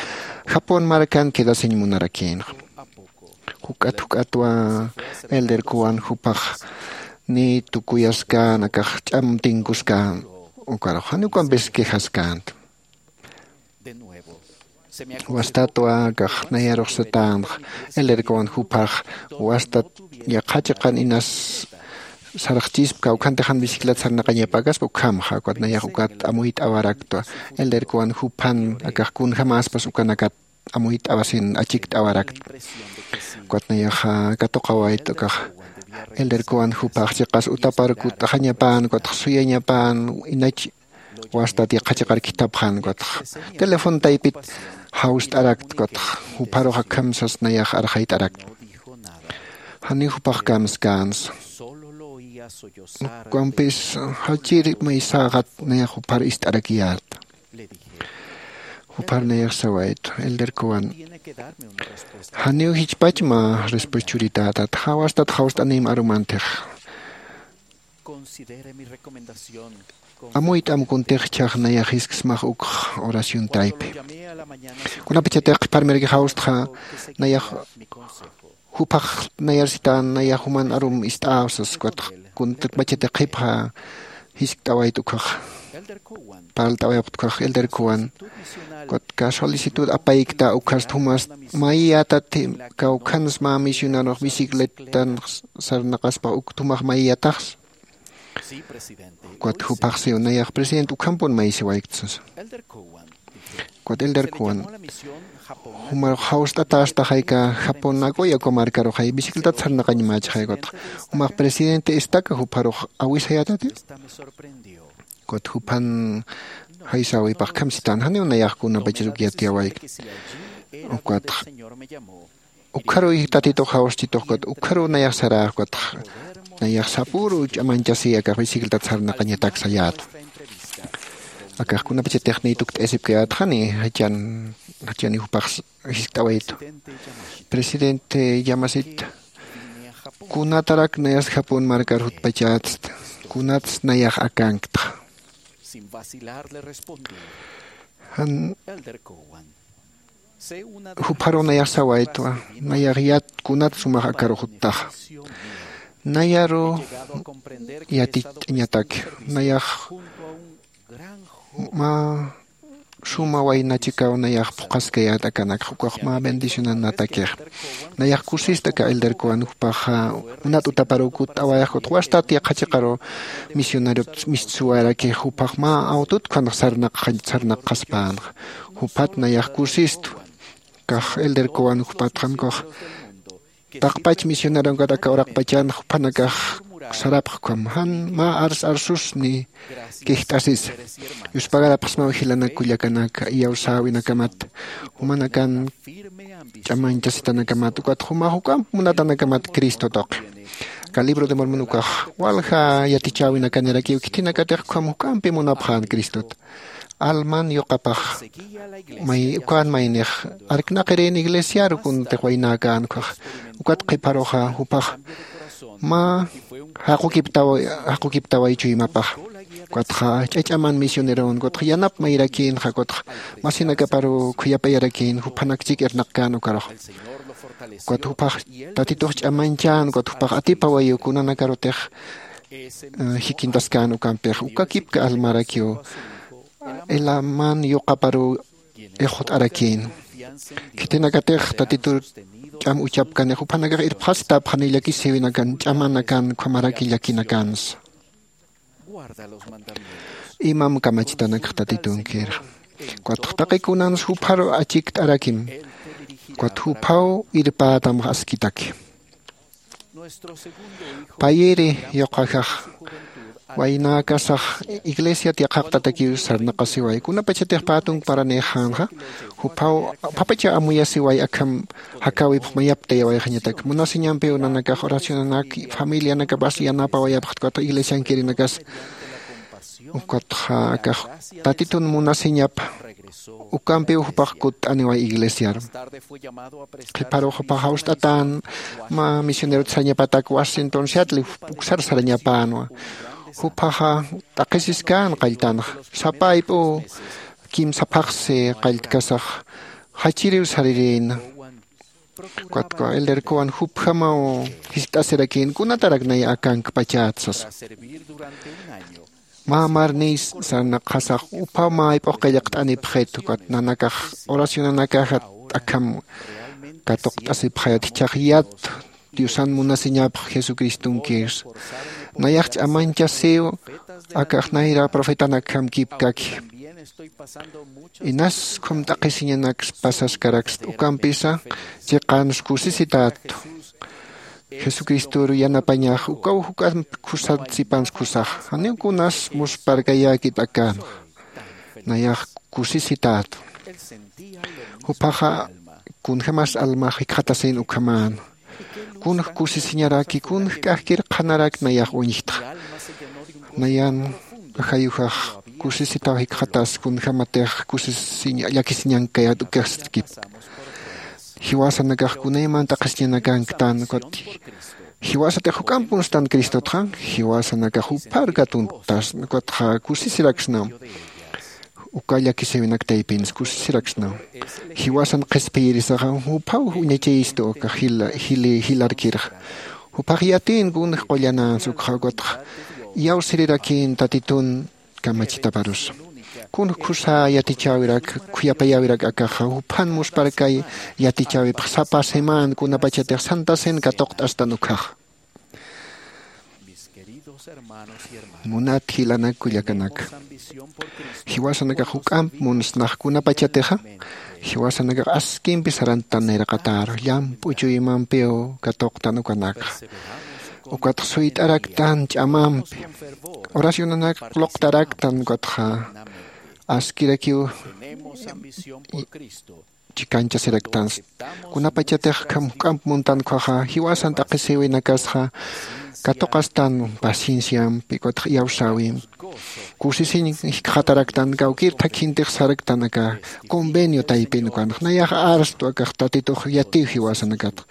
Japón markan quedasiñ munarakïn. Juk'at juk'atwa Elder Cowan jupax ni tukuyaskän, akax ch'am tinkuskän, ukarux janiw ukampis quejaskänti. Wastatwa akax nayarux satänx, Elder Cowan juphax wastat yaqha chiqan inas sarxchispka, ukhanti jan bicicleta sarnaqañapäkaspa ukhamxa, ukat nayax ukat amuyt'awaraktwa, Elder Cowan juphan akax kunjamäspas ukanakat amuyt'awasin achikt'awarakt. Ukat nayaxa katuqawayt ukax, Elder Cowan juphax chiqas utapar kut'axañapän, ukatx suyañapän, inach wastat yaqha chiqar khithapxän ukatxa. Telefon taypit jawst'arakt ukatxa. Jupharux akham sas nayax arxayt'arakt. Janiw jupax kamskänsa. Ukampis jachir may säxat nayax juphar ist'arakiyät. Juphar nayax sawayt, elder Cowan, janiw jichpach mä respuesta churitätat, jawastat jawst'anïm arumantix. Amuyt'am kuntix jichhax nayax jisksmax ukx oración taypi. Kunapachatix qhiparmiraki jawstxa nayax jupax nayar sitän nayax juman arum ist'äw sas, ukatxa kunapachatix qhipxa jiskt'awayt ukhax. Parlt'awayapxt ukhax elder Cowan. Ukatxa solicitud apaykta ukhast jumas mayiyätati, kawkhans mä misionarux bicicletan sarnaqaspa uk tumax mayiyataxs. Ukat jupax siw nayax presidente ukhampun mayisiwaykt sasa. Ukat elder Cowan, jumarux jawst'atästaxay aka Japón Nagoya uka markaruxay bicicletat sarnaqañmächixay ukatxa. Jumax presidente estaca jupharux awisayätati. Ukat juphan jaysäwipax akham sitän, janiw nayax kunapachas uk yatiyawaykt. Ukatxa ukharuy Tatitux jawstitux ukat ukharuw nayax saräx ukatxa nayax sapüru ch'amañchasï akax bicicletat sarnaqañatak sayätwa. Akax kunapachatix niy tukt'asipkayätxani jachan, jachaniw jupax jiskt'awaytu. Presidente Yamashita, kunatarak nayas Japón markar jutpachätsta, kunats nayax akanktxa. Jan jupharuw nayax sawaytwa, nayax yat kunat sumax akarux juttaxa. Nayaru yatich'añataki, nayax mä suma wayna chikaw nayax phuqhaskayät akanakxa, ukax mä bendicionanatakix. Nayax kusista aka elder Cowan, jupaxa munat utaparuw kutt'awayax, ukatxa wastat yaqha chiqaru misionariot mistsuwayarakix, jupax mä awtut ukkhanx sarnaqxa, sarnaqxaspänxa. Juphat nayax kusistu. Akax elder Cowan jupatxan ukax taqpach misioneronkat aka uraqpachan juphanakax sarapx ukham, jan mä ars arsusni kijt'asisa. Yuspagarapxsmaw jilanak kullakanaka, iyawsäwinakamat, jumanakan ch'amañchasitanakamat, ukat jumax juk'amp munatanakamat Cristo tuqi. Aka libro de Mormon ukax walja yatichäwinakanirakiw, khitinakatix ukham juk'ampi munapxän Cristot. Alman yuqapax may, ukan maynix arknaqirin iglesiaru kunatix waynäkän ukax. Ukat qhiparuxa jupax mä jaqukiptaw, jaqukiptaway chuymapax. Ukatxa ch'ach'aman misioneron, ukatxa yanap mayrakïnxa, ukatxa masinakaparu khuyapayarakin, juphanak chik irnaqkän ukarux. Ukat jupax Tatitux ch'amañchän, ukat jupax atipawayiw kunanakarutix, eh, jikintaskän ukampix. Uka kipka almarakiw Elaman yuqaparuw ixut'arakïn. Khitinakatix Tatitur ch'am uchapkanix, juphanakax irpxasitapxani llakisïwinakan, ch'amanakan, ukhamaraki llakinakansa. Imam kamachitanakx Tatitunkirxa. Ukatx taqi kunans jupharu achikt'arakim. Ukat juphaw irpätamx askitaki. Payiri yuqajax waynäkasax iglesiat yaqhaqtatakiw sarnaqasiway. Kunapachatix pä tunkparanïxänxa, juphaw, juphapacha amuyasiway akham jakäwipx mayaptayawayxañatak. Munasiñampiw nanakax oracionanak, familianakapas yanapawayapxta, ukatxa iglesiankirinakas. Ukatxa akax Tatitun munasiñapa, ukampiw jupax kutt'aniway iglesiar. Qhiparux jupax jawst'atän mä misionerot sarñapatak Washington Seattle uksar sarñapänwa. Juphaxa t'aqhisiskän qalltanxa. Sapa ayp'u kimsa phaxsi qalltkasax jachiriw sarirïna. Ukatxa Elder Cowan jupjamaw jiskt'asirakïn, kunatarak nay akankpachät sasa. Mä marniy sarnaqxasax, juphaw mä ayp'ux qillqt'anipxit, ukat nanakax oracionanakaxa t'akham katuqt'asipxayät, jichhax yat Diosan munasiñapx Jesucristonkis. Nayax ch'amañchasiw, akax nayra profetanakjam kipkaki. Inas ukham t'aqhisiñanaks pasaskarakst, ukampisa chiqans kusisitätu. Jesucristoru yanapañax, ukaw juk'amp khusat sipans khusax. Janiw kunas musparkayäkit akänxa. Nayax kusisitätu. Juphaxa kunjämas almax jikxatasin ukhamäna. Kunx kusisiñaraki, kunx k'ajkir qhanarak nayax uñjtxa. Nayan ajayujax kusisitaw jikxatas kunjämatix kusisiñ llakisiñankayät ukasti. Jiwasanakax kunaymanta qhisiñanakanktan, ukat jiwasatix juk'amp munstan Cristotxa, jiwasanakax juphar katuntasna, ukatxa kusisiraksnam. Uka llakisïwinak taypinsa kusisiraksnam. Jiwasan qhispiyirisaxa juphaw uñachayistu aka jila, jili, jilarkirxa. Juphax yatïn kunx qullanansa ukxa, ukatxa iyawsirirakïn Tatitun kamachitaparusa. Kunx khusä yatichäwirak, khuyapayäwirak akaxa, juphan muspharkay yatichäwipx sapa semana kunapachatix santasin katuqt'astan ukhaxa. Munat jilanak kullakanaka, jiwasanakax juk'amp munsnax kunapachatixa, jiwasanakax askimpi sarantan nayraqatäru, llamp'u chuymampiw katuqtan ukanakxa. Ukatx suyt'araktan ch'amampi, oracionanak luqtaraktan, ukatxa askirakiw chikanchasiraktansa. Kunapachatix akham juk'amp muntan ukhaxa, jiwasan t'aqhisïwinakasxa katuqastan pacienciampi, ukatx iyawsäwimpi. Kusisiñ jikxataraktan, kawkïr thakhintix saraktan aka convenio taypin ukanx. Nayax arstu akax Tatitux yatiw jiwasanakatxa.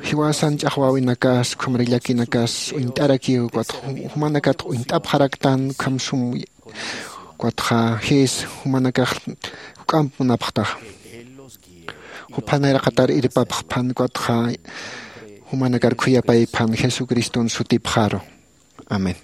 Jiwasan ch'axwäwinakas, ukhamar llakinakas uñt'arakiw, ukatx jumanakat uñt'apxaraktan, ukham sum Ukatxa jis jumanakax juk'amp munapxtaxa. Jupan nayraqatar irpapxpan, ukatxa jumanakar khuyapaypan Jesucriston sutipxaru. Amén.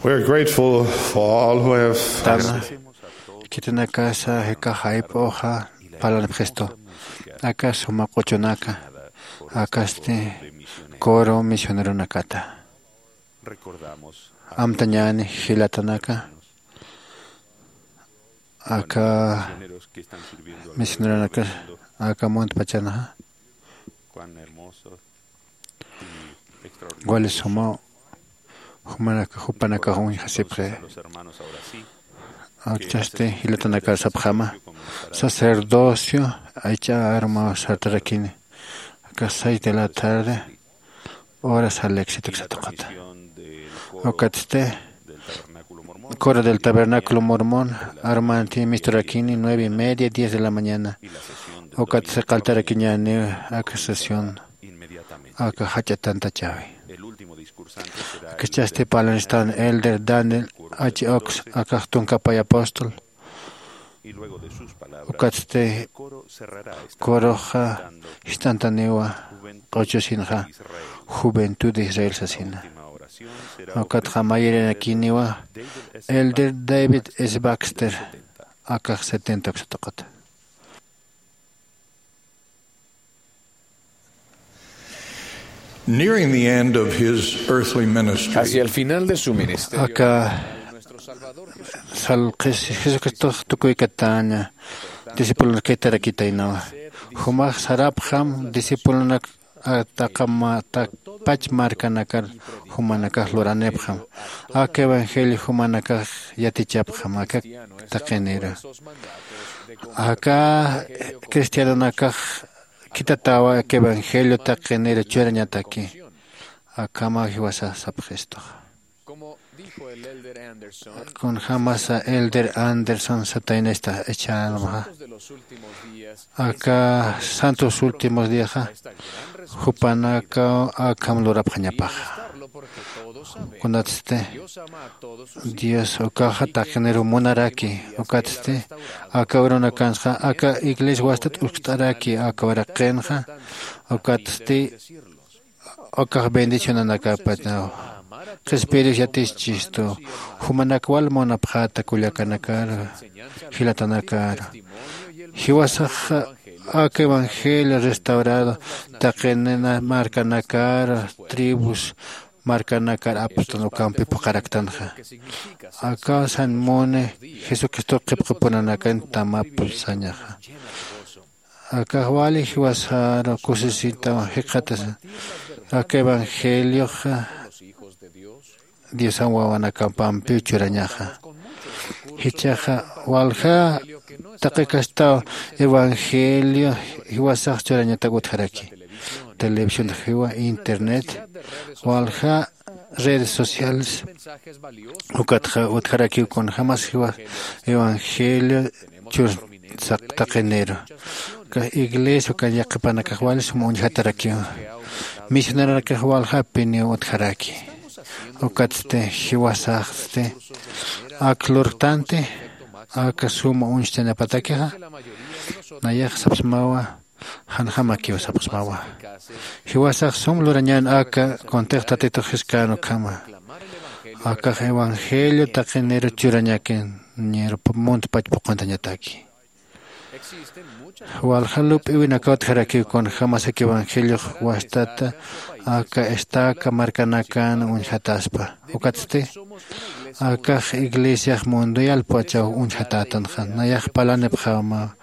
We're grateful for all who have Tana, khitinakasa jika jayp'uxa parlanipxistu. Aka suma q'uchunaka, akasti coro misioneronakata. Amtañäni jilatanaka, aka misioneronaka, aka muntpachanxa. Wali sumaw jumanaka jupanakax uñjasipxi. Akchasti jilatanakar sapxäma, sacerdocio aycha armaw sartarakini. Aka seis de la tarde, horas al éxito satuqata. Ukatsti coro del tabernáculo mormón armanti misturakini nueve y media, diez de la mañana. Ukatsti qaltarakiñäni aka sesión aka jach'a tantachäwi. Akchasti parlanistan elder Daniel H Oaks, akax tunka pay apóstol. Ukatsti coroxa jist'antaniwa q'uchusinxa, juventud de Israel sasina. Ukatxa mayirinakiniwa elder David S Baxter, akax setenta uksatuqata. Nearing the end of his earthly ministry, Hacia el final de su ministerio, aka salqis Jesucristox tukuykatäña discipulonakitarakitaynawa. Jumax sarapxam discipulonak ataqama takpach markanakar jumanakax luranipxam. Aka evangelio jumanakax yatichapxam aka taqinira. Aka cristianonakax khitatawa aka evangelio taqinir churañataki. Akhama jiwasa sapxistuxa. Kunjämasa elder Anderson sataynista echanxa, aka santos últimos diaxa jupanakaw akham lurapxañapaxa. Kunatsti Dios ukaxa taqinir munaraki, ukatsti aka urunakansxa aka iglesia wastat uskt'araki aka uraqinxa, ukatsti ukax bendicionanakapatnaw. Qhispiyirus yatischistu, jumanak wal munapxäta kullakanakar, jilatanakar. Jiwasax aka evangelio restaurado taqinina markanakar, tribus markanakar apstan ukampi phuqharaktanxa. Aka san muni Jesucristo qhipqapunanakan tamap sañaxa. Akax wali jiwasaru kusisita jikxatasa. Aka evangelioxa Diosan wawanakapampiw churañaxa. Jichhaxa walja taqikastaw evangelio jiwasax churañatak utjaraki. Televisión jiwa, internet, walja redes sociales, ukatxa utjarakiw kunjämas jiwa evangelio chur taqiniru. Aka iglesia ukan yaqhipanakax wali sum uñjatarakiw. Misioneronakax waljapiniw utjaraki. Ukatsti jiwasaxsti ak lurktanti aka suma uñstañapatakixa. Nayax sapsmawa, janjamakiw sapxsmawa. Jiwasax sum lurañän aka kuntix Tatitux Jiskäna ukhama. Akax evangelio taqinir churañakin, ñir muntpach phuqhantañataki. Walja lup'iwinakaw utjarakiw kunjämas aka evangeliox wastata aka estaca markanakan uñjataspa. Ukatsti akax iglesiax mundial pachaw uñjatätanxa. Nayax parlanipxäma,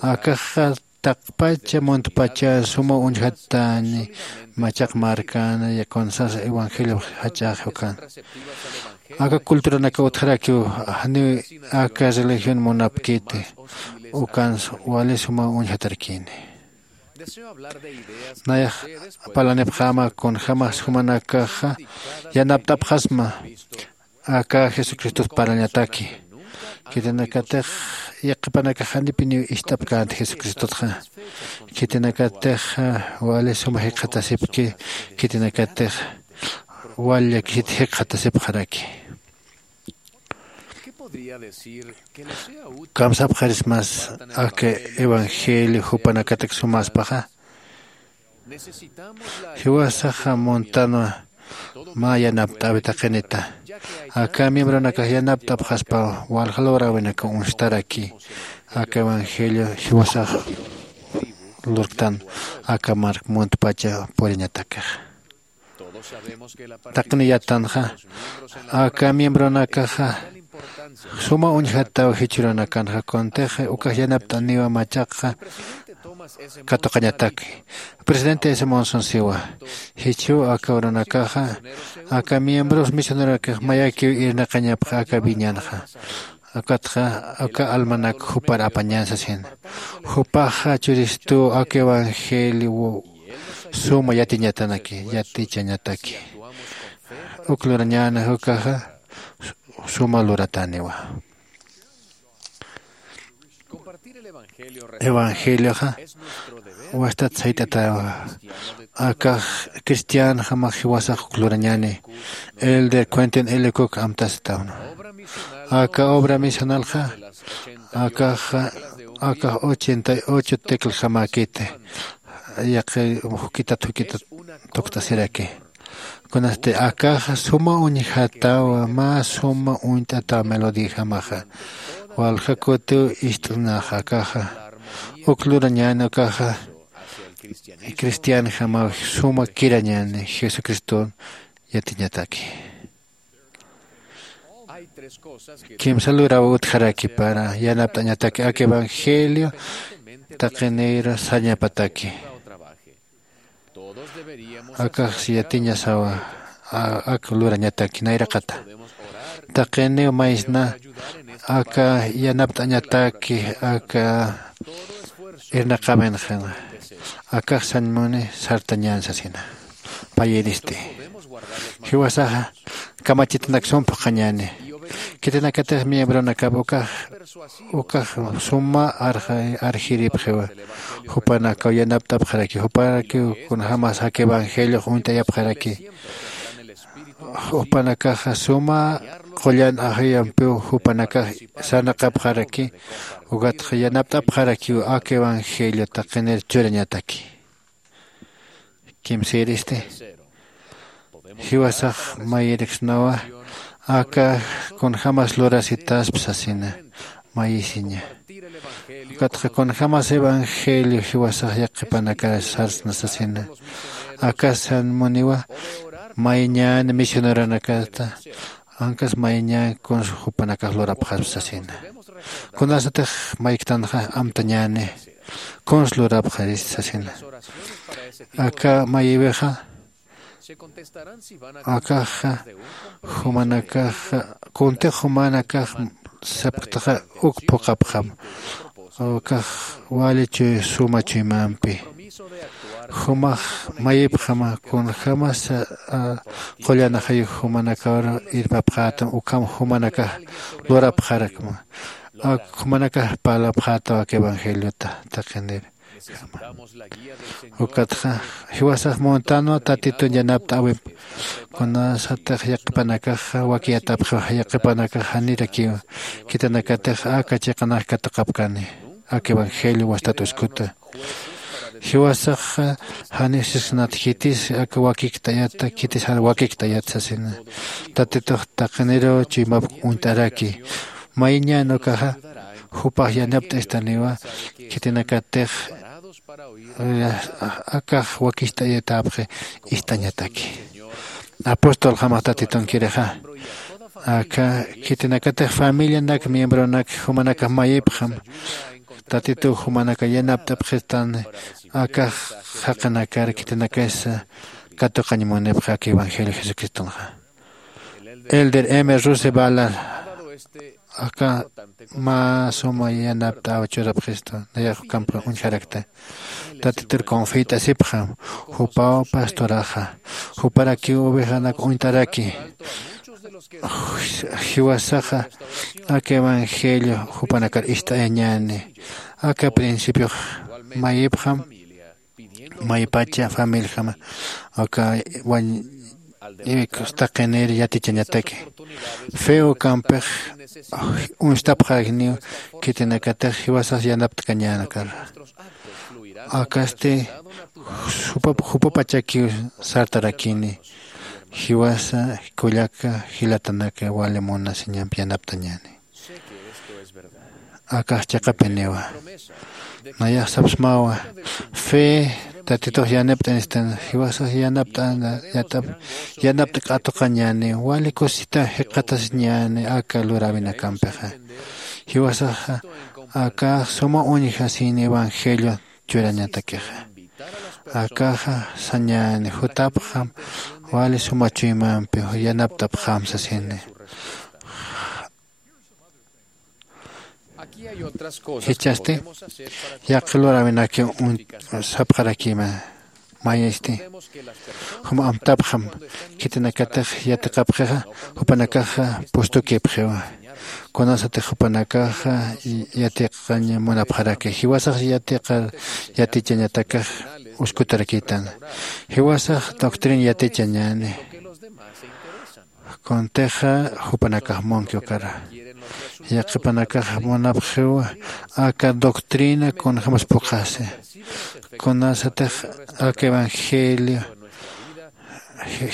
akaxa taqpacha muntpacha suma uñjatäni machaq markan, kunsas evangelio jach'axi ukan. Aka culturanakaw utjarakiw, janiw aka religión munapkiti, ukans wali suma uñjatarakini. Nayax parlanipxäma kunjämas jumanakaxa yanapt'apxasma aka Jesucristot parlañataki. Khitinakatix yaqhipanakax janipiniw ist'apkänti Jesucristotxa. Khitinakatix wali suma jikxatasipki, khitinakatix wal llakisit jikxatasipxaraki. ¿Kamsapxarismas aka evangelio jupanakatak sumäspaxa? Jiwasaxa muntanwa mä yanapt'äwi taqinita. Aka miembronakax yanapt'apxaspaw walja logräwinakaw uñstaraki aka evangelio jiwasax lurktan aka mark muntpacha puriñatakax. Taqini yattanxa aka miembronakaxa suma uñjataw jichhürunakanxa kuntix ukax yanapt'aniwa machaqxa katuqañataki. Presidente ese monson siwa jichhüw aka urunakaxa aka miembros misioneronakax mayakiw irnaqañapxa aka viñanxa. Ukatxa aka almanak jupar apañän sasina. Jupaxa churistuw aka evangelio suma yatiñatanaki yatichañataki. Uk lurañäna ukaxa suma luratäniwa. Evangelioxa wastat sayt'atäwa. Akax cristianjamax jiwasax uk lurañäni. Elder cuenten elecuk amtasitawna aka obra misionalxa akaxa akax ochenta y ocho tecljamäkiti. Yaqi jukitat jukitat tukt'asiraki. Kunasti akaxa suma uñjatawa mä suma uñt'atawa melodijamaxa walja kutiw ist'naxa akaxa uk lurañäni ukaxa cristianjamaw suma kirañäni jesucriston yatiñataki. Kimsa luraw utjaraki para yanapt'añataki aka evangelio taqinir sañapataki. Akax yatiñasawa ak lurañataki nayraqata. Taqiniw maysna aka yanapt'añataki aka irnaqaminxana akax sañmuni sartañän sasina. Payiristi jiwasaxa kamachitanak sum phuqhañäni. Khitinakatix miembronakap ukax ukax suma arxiripxiwa. Jupanakaw yanapt'apxaraki jupanakiw kunjämas aka evangeliox uñt'ayapxaraki. Jupanakaxa suma qullan ajayampiw jupanakax sarnaqapxaraki. Ukatxa yanapt'apxarakiw aka evangelio taqinir churañataki. Kimsïristi jiwasax mayiriksnawa aka kunjämas lurasitaspa sasina. Mayisiña ukatxa kunjämas evangelio jiwasax yaqhipanakar sarsna sasina. Aka sañmuniwa mayñän misioneronakata ankas mayñän kuns jupanakax lurapxaspa sasina. Kunasatix mayktanxa amtañäni kuns lurapxarist sasina. Aka mayiwixa akaxa jumanakaxa kuntix jumanakax sapktaxa uk phuqhapxam. Ukax wali chuy suma chuymampi jumax mayipxama kunjämas qullan ajayuk jumanakawar irpapxätam ukham jumanakax lurapxarakma. Ak jumanakax parlapxätaw aka evangeliota taqinir. Ukatxa jiwasax muntänwa tatitun yanapt'äwip. Kunasatix yaqhipanakaxa wakiyatapxiw yaqhipanakax janirakiw khitinakatix aka chiqanax katuqapkani aka evangelio wastat uskuta. Jiwasaxa janiw sisknat khitis aka wakikt'ayata khitis jan wakikt'ayata sasina. Tatitux taqiniruw chuymap uñt'araki. Mayñän ukaxa jupax yanapt'istaniwa khitinakatix akax wakicht'ayatäpxi ist'añataki. Apostolxamax tatitunkirixa aka khitinakatix familianak miembronak jumanakax mayipxam. Tatituw jumanakax yanapt'apxistani akax jaqinakar khitinakasa katuqañ munipxi aka evangelio jesucristonxa. Elder m russell ballard aka mä suma yanapt'äw churapxistu nayax ukampi uñjarakta. Tatitur confiyt'asipxam jupaw pastoraxa juparakiw ovejanak uñt'araki. Jiwasaxa aka evangelio jupanakar ist'ayañäni. Aka principiox mayipxam maypacha familijama aka wañ iwikus taqinir yatichañataki. Fe ukampix uñstapxarakiniw khitinakatix jiwasas yanaptkañänakar. Akasti jupapachakiw sartarakini. Jiwasa kullaka jilatanaka wali munasiñampi yanapt'añäni. Akax chiqapiniwa. Nayax sapsmawa, fe tatitux yanapt'anistan, jiwasax yanapt'ana, yanapt'k'atuqañäni, wali kusita jikxatasiñäni aka luräwinakampixa. Jiwasaxa akax suma uñjasini evangelio churañatakixa. Akaxa sañäni jutapxam wali suma chuymampi yanaptapxam sasini. Jichhasti yaqha luräwinaki sapxarakima. Mayisti juma amtapxam khitinakatix yatiqapxixa, jupanakaxa pustukipxiwa. Kunasatix jupanakaxa yatiqañ munapxaraki, jiwasax yatiqar yatichañatakax uskutarakïtan. Jiwasax doctrina yatichañäni. Kuntixa jupanakax munki ukara. Yaqhipanakax munapxiw aka doctrina kunjämas phuqhasi. Kunasatix aka evangelio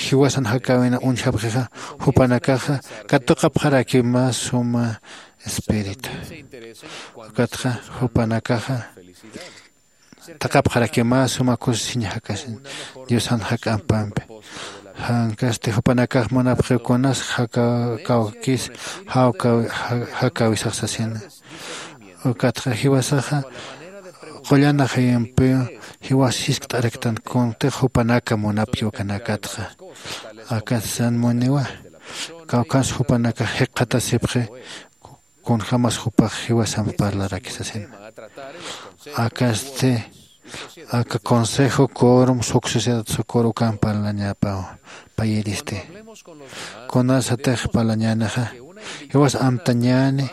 jiwasan jakäwina uñjapxixa, jupanakaxa katuqapxarakiw mä suma espíritu. Ukatxa jupanakaxa taqapxarakiw mä suma kusisiñ jakasin diosan jak'ampampi. Jankasti jupanakax munapxiw kunas jakawkis jakäwisax sasina. Ukatxa jiwasaxa qullanajayampiw jiwas jiskt'araktan kuntix jupanaka munapki ukanakatxa. Akatsan muniwa kawkhans jupanakax jikxatasipxi kunjämas jupax jiwasamp parlaraki sasina. Akasti aka consejo corum sucesidat socorro ukan parlañapaw payiristi. Kunasatix parlañänixa jiwas amtañäni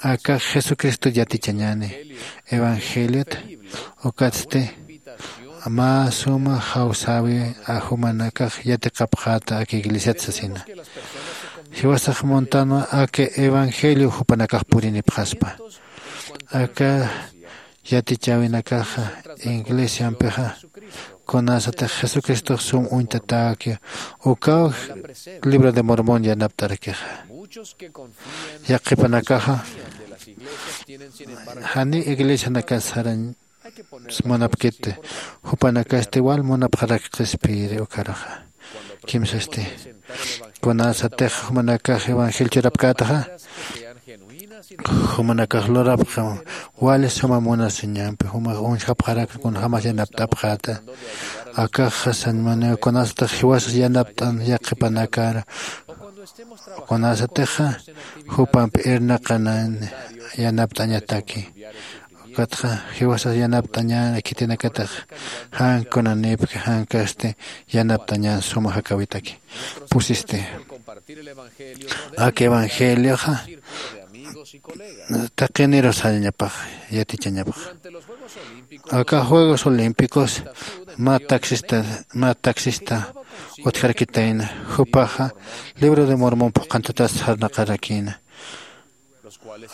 aka jesucristo yatichañäni evangeliot. Ukatsti mä suma jawsäwi jumanakax yatiqapxäta aka iglesiat sasina. Jiwasax muntanwa aka evangelio jupanakax purinipxaspa. Aka yatichäwinakaxa iglesiampixa kunasatix jesucristox sum uñtatäki ukaw libro de mormón yanapt'arakixa. Yaqhipanakaxa janiw iglesianakat sarañ munapkiti. Jupanakasti wal munapxarak qhispiyiri ukaruxa. Kimsasti kunasatix jumanakax evangelio churapkätaxa jumanakax lurapxam wali suma munasiñampi jumax uñjapxarak kunjämas yanapt'apxäta. Akaxa sañ muniw kunasatix jiwasas yanapt'an yaqhipanakar kunasatixa jupampi irnaqanan yanapt'añataki. Ukatxa jiwasas yanapt'añäni khitinakatix jan kunanïpki jankasti yanapt'añän suma jakäwitaki. Pusisti aka evangelioxa taqiniru sañapax yatichañapax. Aka juegos olímpicos mä taxista mä taxista utjarakitayna. Jupaxa libro de mormón phuqhantatas sarnaqarakïna.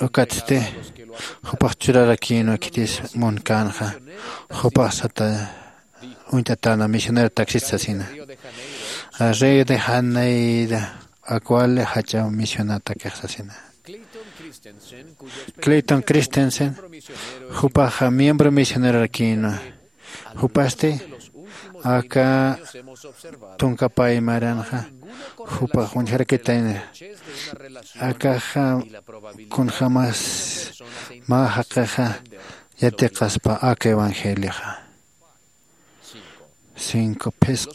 Ukatsti jupax churarakïnwa khitis munkänxa jupax sata uñt'atäna misionero taxista sasina. Río de janeiro akwali jach'a misionatakix sasina. Clayton christensen jupaxa miembro misionerorakïnwa. Jupasti aka tunka paymaranxa jupax uñjarakitayna. Akaxa kunjämas mä jaqixa yatiqaspa aka evangelioxa. Cinco phisqa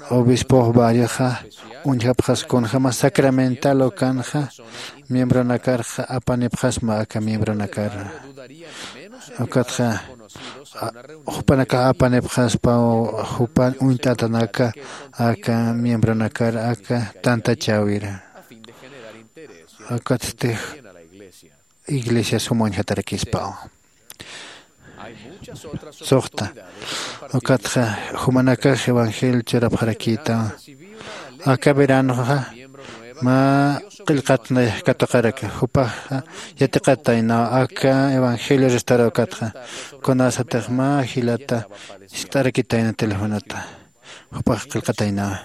obispox barrioxa uñjapxas kunjämas sacramental ukanxa miembronakarxa apanipxasma aka miembronakar. Ukatxa jupanakax apanipxaspaw jupan uñt'atanaka aka miembronakar aka tantachäwir. Ukatsti iglesia suma uñjatarakispaw. Suxta ukatxa jumanakax evangelio churapxarakïtaw. Aka veranoxa mä qillqat nayax katuqaraki jupaxa yatiqataynaw aka evangelio restarawkatxa. Kunasatix mä jilata jiskt'arakitayna telefonota. Jupax qillqataynawa.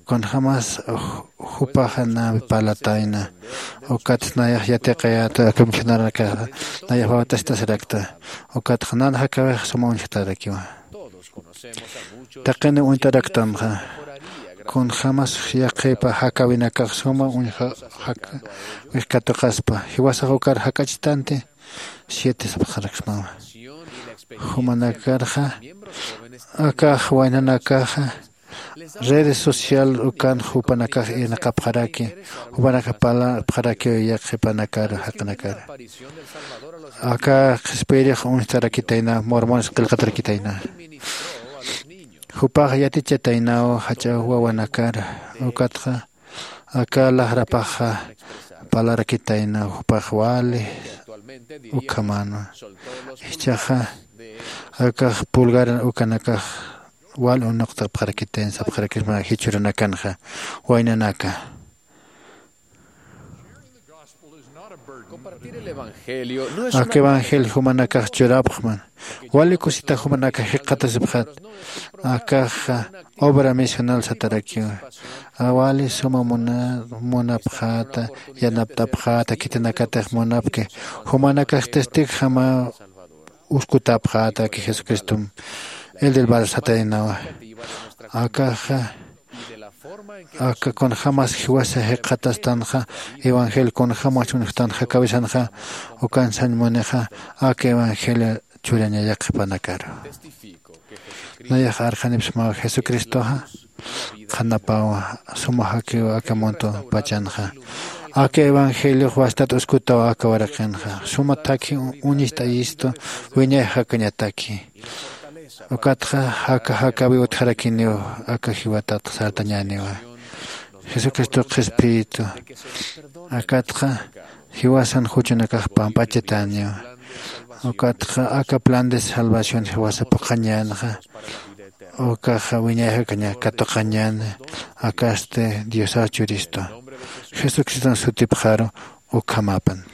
Kunjämas jupaxa nawi parlatayna, ukat nayax yatiqayäta aka misionarakaxa nayax wawt'asitasirakta. Ukatxa nan jakäwix suma uñjtarakiwa. Taqiniw uñtaraktanxa. Kunjämas yaqhipa jakäwinakax suma uñjawix katuqaspa jiwasax ukar jak'achitanti. Siete sapxaraksmawa. Jumanakarxa akax waynanakaxa redes social ukan jupanakax irnaqapxaraki, jupanakax parlapxarakiw yaqhipanakar jaqinakar. Aka qhispiyirix uñstarakitayna, mormones qillqatarakitayna. Jupax yatichataynaw jach'a wawanakar. Ukatxa aka laqrapaxa parlarakitayna, jupax wali ukhamanwa. Jichhaxa akax pulgar ukanakax wal unuqtapxarakitayna sapxarakisma jichhüranakanxa. Waynanaka, aka evangelio jumanakax churapxman. Wali kusita jumanakax jikxatasipxat. Akaxa obra misional satarakiwa. Wali suma muna munapxäta, yanapt'apxäta, khitinakatix munapki jumanakax testigojama uskutapxäta. Aki jesucristom el del bar sataynawa. Akaxa aka kunjämas jiwasa jikxatastanxa, evangelio kunjämas uñjtanxa jakäwisanxa, ukan sañ munixa aka evangelio churaña yaqhipanakaru. Nayax arxanipsmaw jesucristoxa qhanapawa, suma jakiwa aka mundo pachanxa. Aka evangeliox wastat uskutaw aka waraqinxa, suma thakhi uñist'ayistu wiñay jakañataki. Ukatxa jaka jakäwi utjarakiniw aka jiwatat sartañäniwa. Jesucristo qhispiyitu akatxa jiwasan juchunakax pamp'achatäniwa. Ukatxa aka plan de salvación jiwasa phuqhañänxa. Ukaxa wiñay jakaña katuqañäni. Akasti diosax churistu jesucriston sutipxaru. Ukhamapan.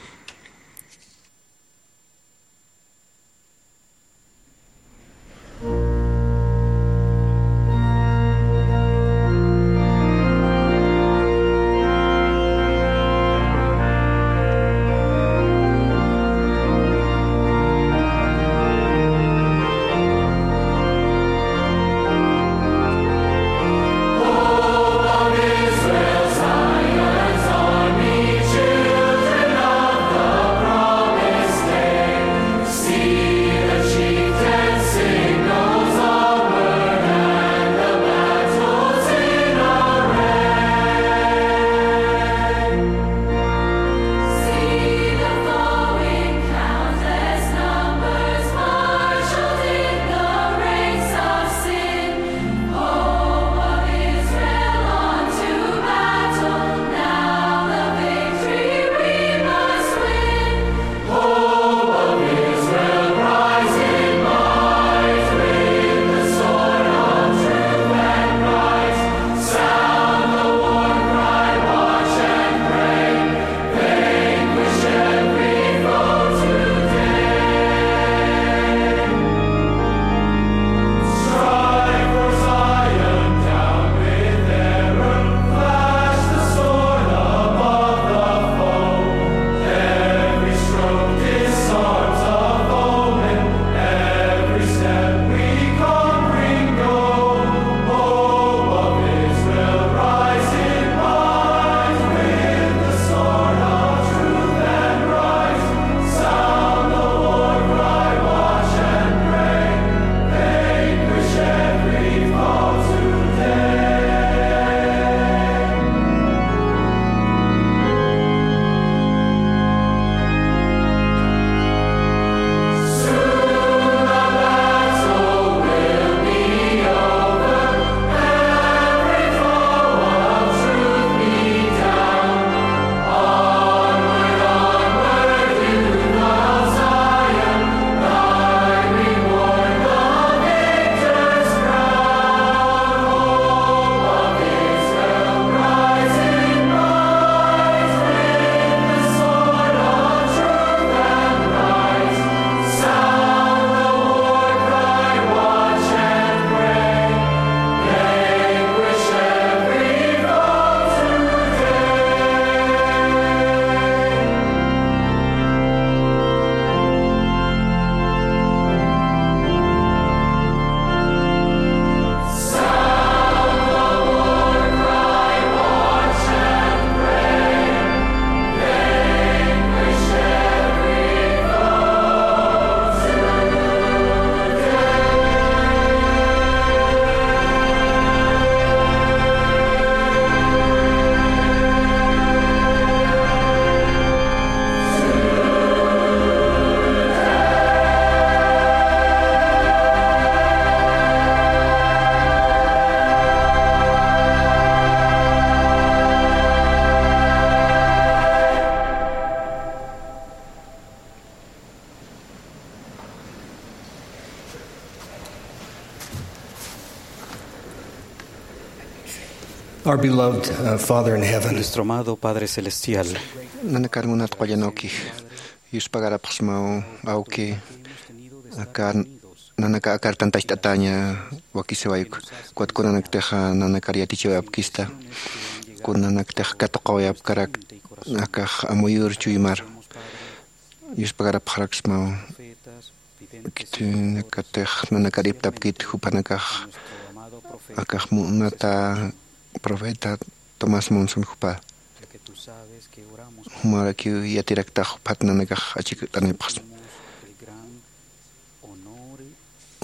Our beloved uh, Father in heaven. Nuestro amado Padre Celestial. Nanakar munat qullan awkix, yuspagarapxsmaw awki, aka nanaka akar tantacht'ataña wakisiwayku. Ukat kunanaktixa nanakar yatichawayapkista, kunanaktixa katuqawayapkarak akax amuyur chuymar. Yuspagarapxaraksmaw. Khitinakatix nanakar ipt'apkit jupanakax, akax munata profeta Tomás Monson jupa. Jumarakiw yatiraktax juphat nanakax achikt'anipxsma.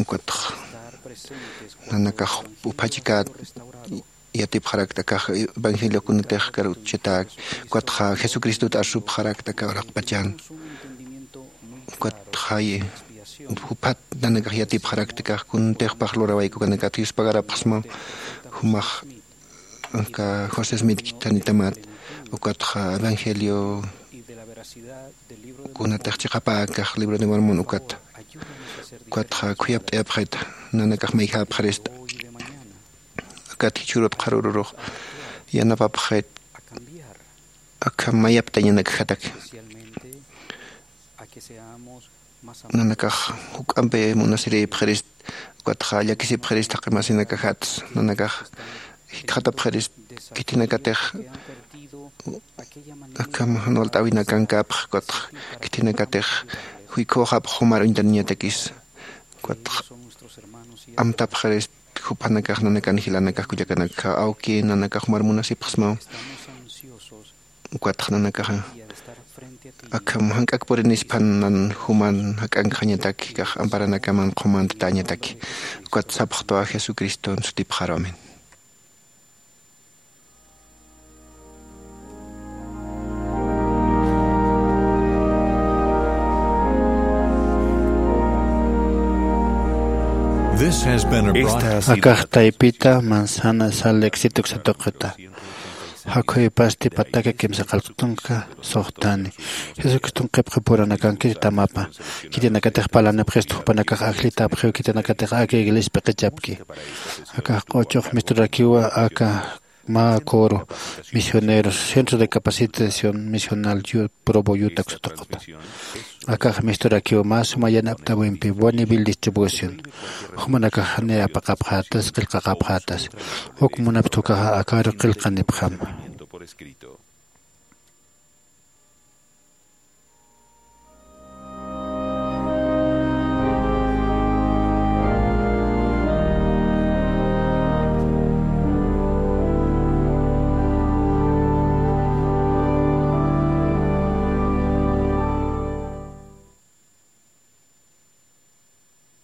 Ukatx nanakax uphachikät yatipxarakta akax evangeliokunatix karuchata, ukatxa Jesucristot arsupxarakta aka uraqpachan. Ukatxa juphat nanakax yatipxarakta akax kuntix pax lurawaykukanakata yuspagarapxsma. Jumax aka José Smith khitinitamat, ukatxa evangelio kunatix chiqapäkax libro de Mormon ukata. Ukatxa khuyapt'ayapxit nanakax mayjapxarista. Akat jichhürut qharürurux yanapapxit, akham mayaptañanakjataki. Nanakax juk'ampi munasirïpxirist, ukatxa llakisipxirist jaqi masinakajats, nanakax jikxatapxirist khitinakatix akham jan walt'äwinakankapx, ukatxa khitinakatix juykhüxapx jumar uñtaniñatakis, ukatxa amtapxirist. Jupanakax nanakan jilanakax kullakanakxa, awki nanakax jumar munasipxsmaw. Ukatxa nanakaxa akham jank'ak purinisphan nan juman jak'ankxañataki, akax amparanakaman qhumantatañataki. Ukat sapxtwa Jesucriston sutipxaru, amén. This has been a broadcast. Akax taypita manzana sal éxito satuqita. Jakhuypasti pataka kimsa qallqtunka suxtani. Jesucriston qhipqi puranakankiti tamapa. Khitinakatix parlanipxistu jupanakax ajllitapxiw, khitinakatix aka iglesia p'iqichapki. Akax q'uchux misturakiwa aka mä coro misioneros, Centro de Capacitación Misional Yu-, Provo, Utah satuqita. Akax misturakiw mä suma yanapt'äwimpi buen nivel distribución. Jumanakax janiw apaqapxätas, qillqaqapxätas. Uk munapxta ukaxa akaru qillqanipxam.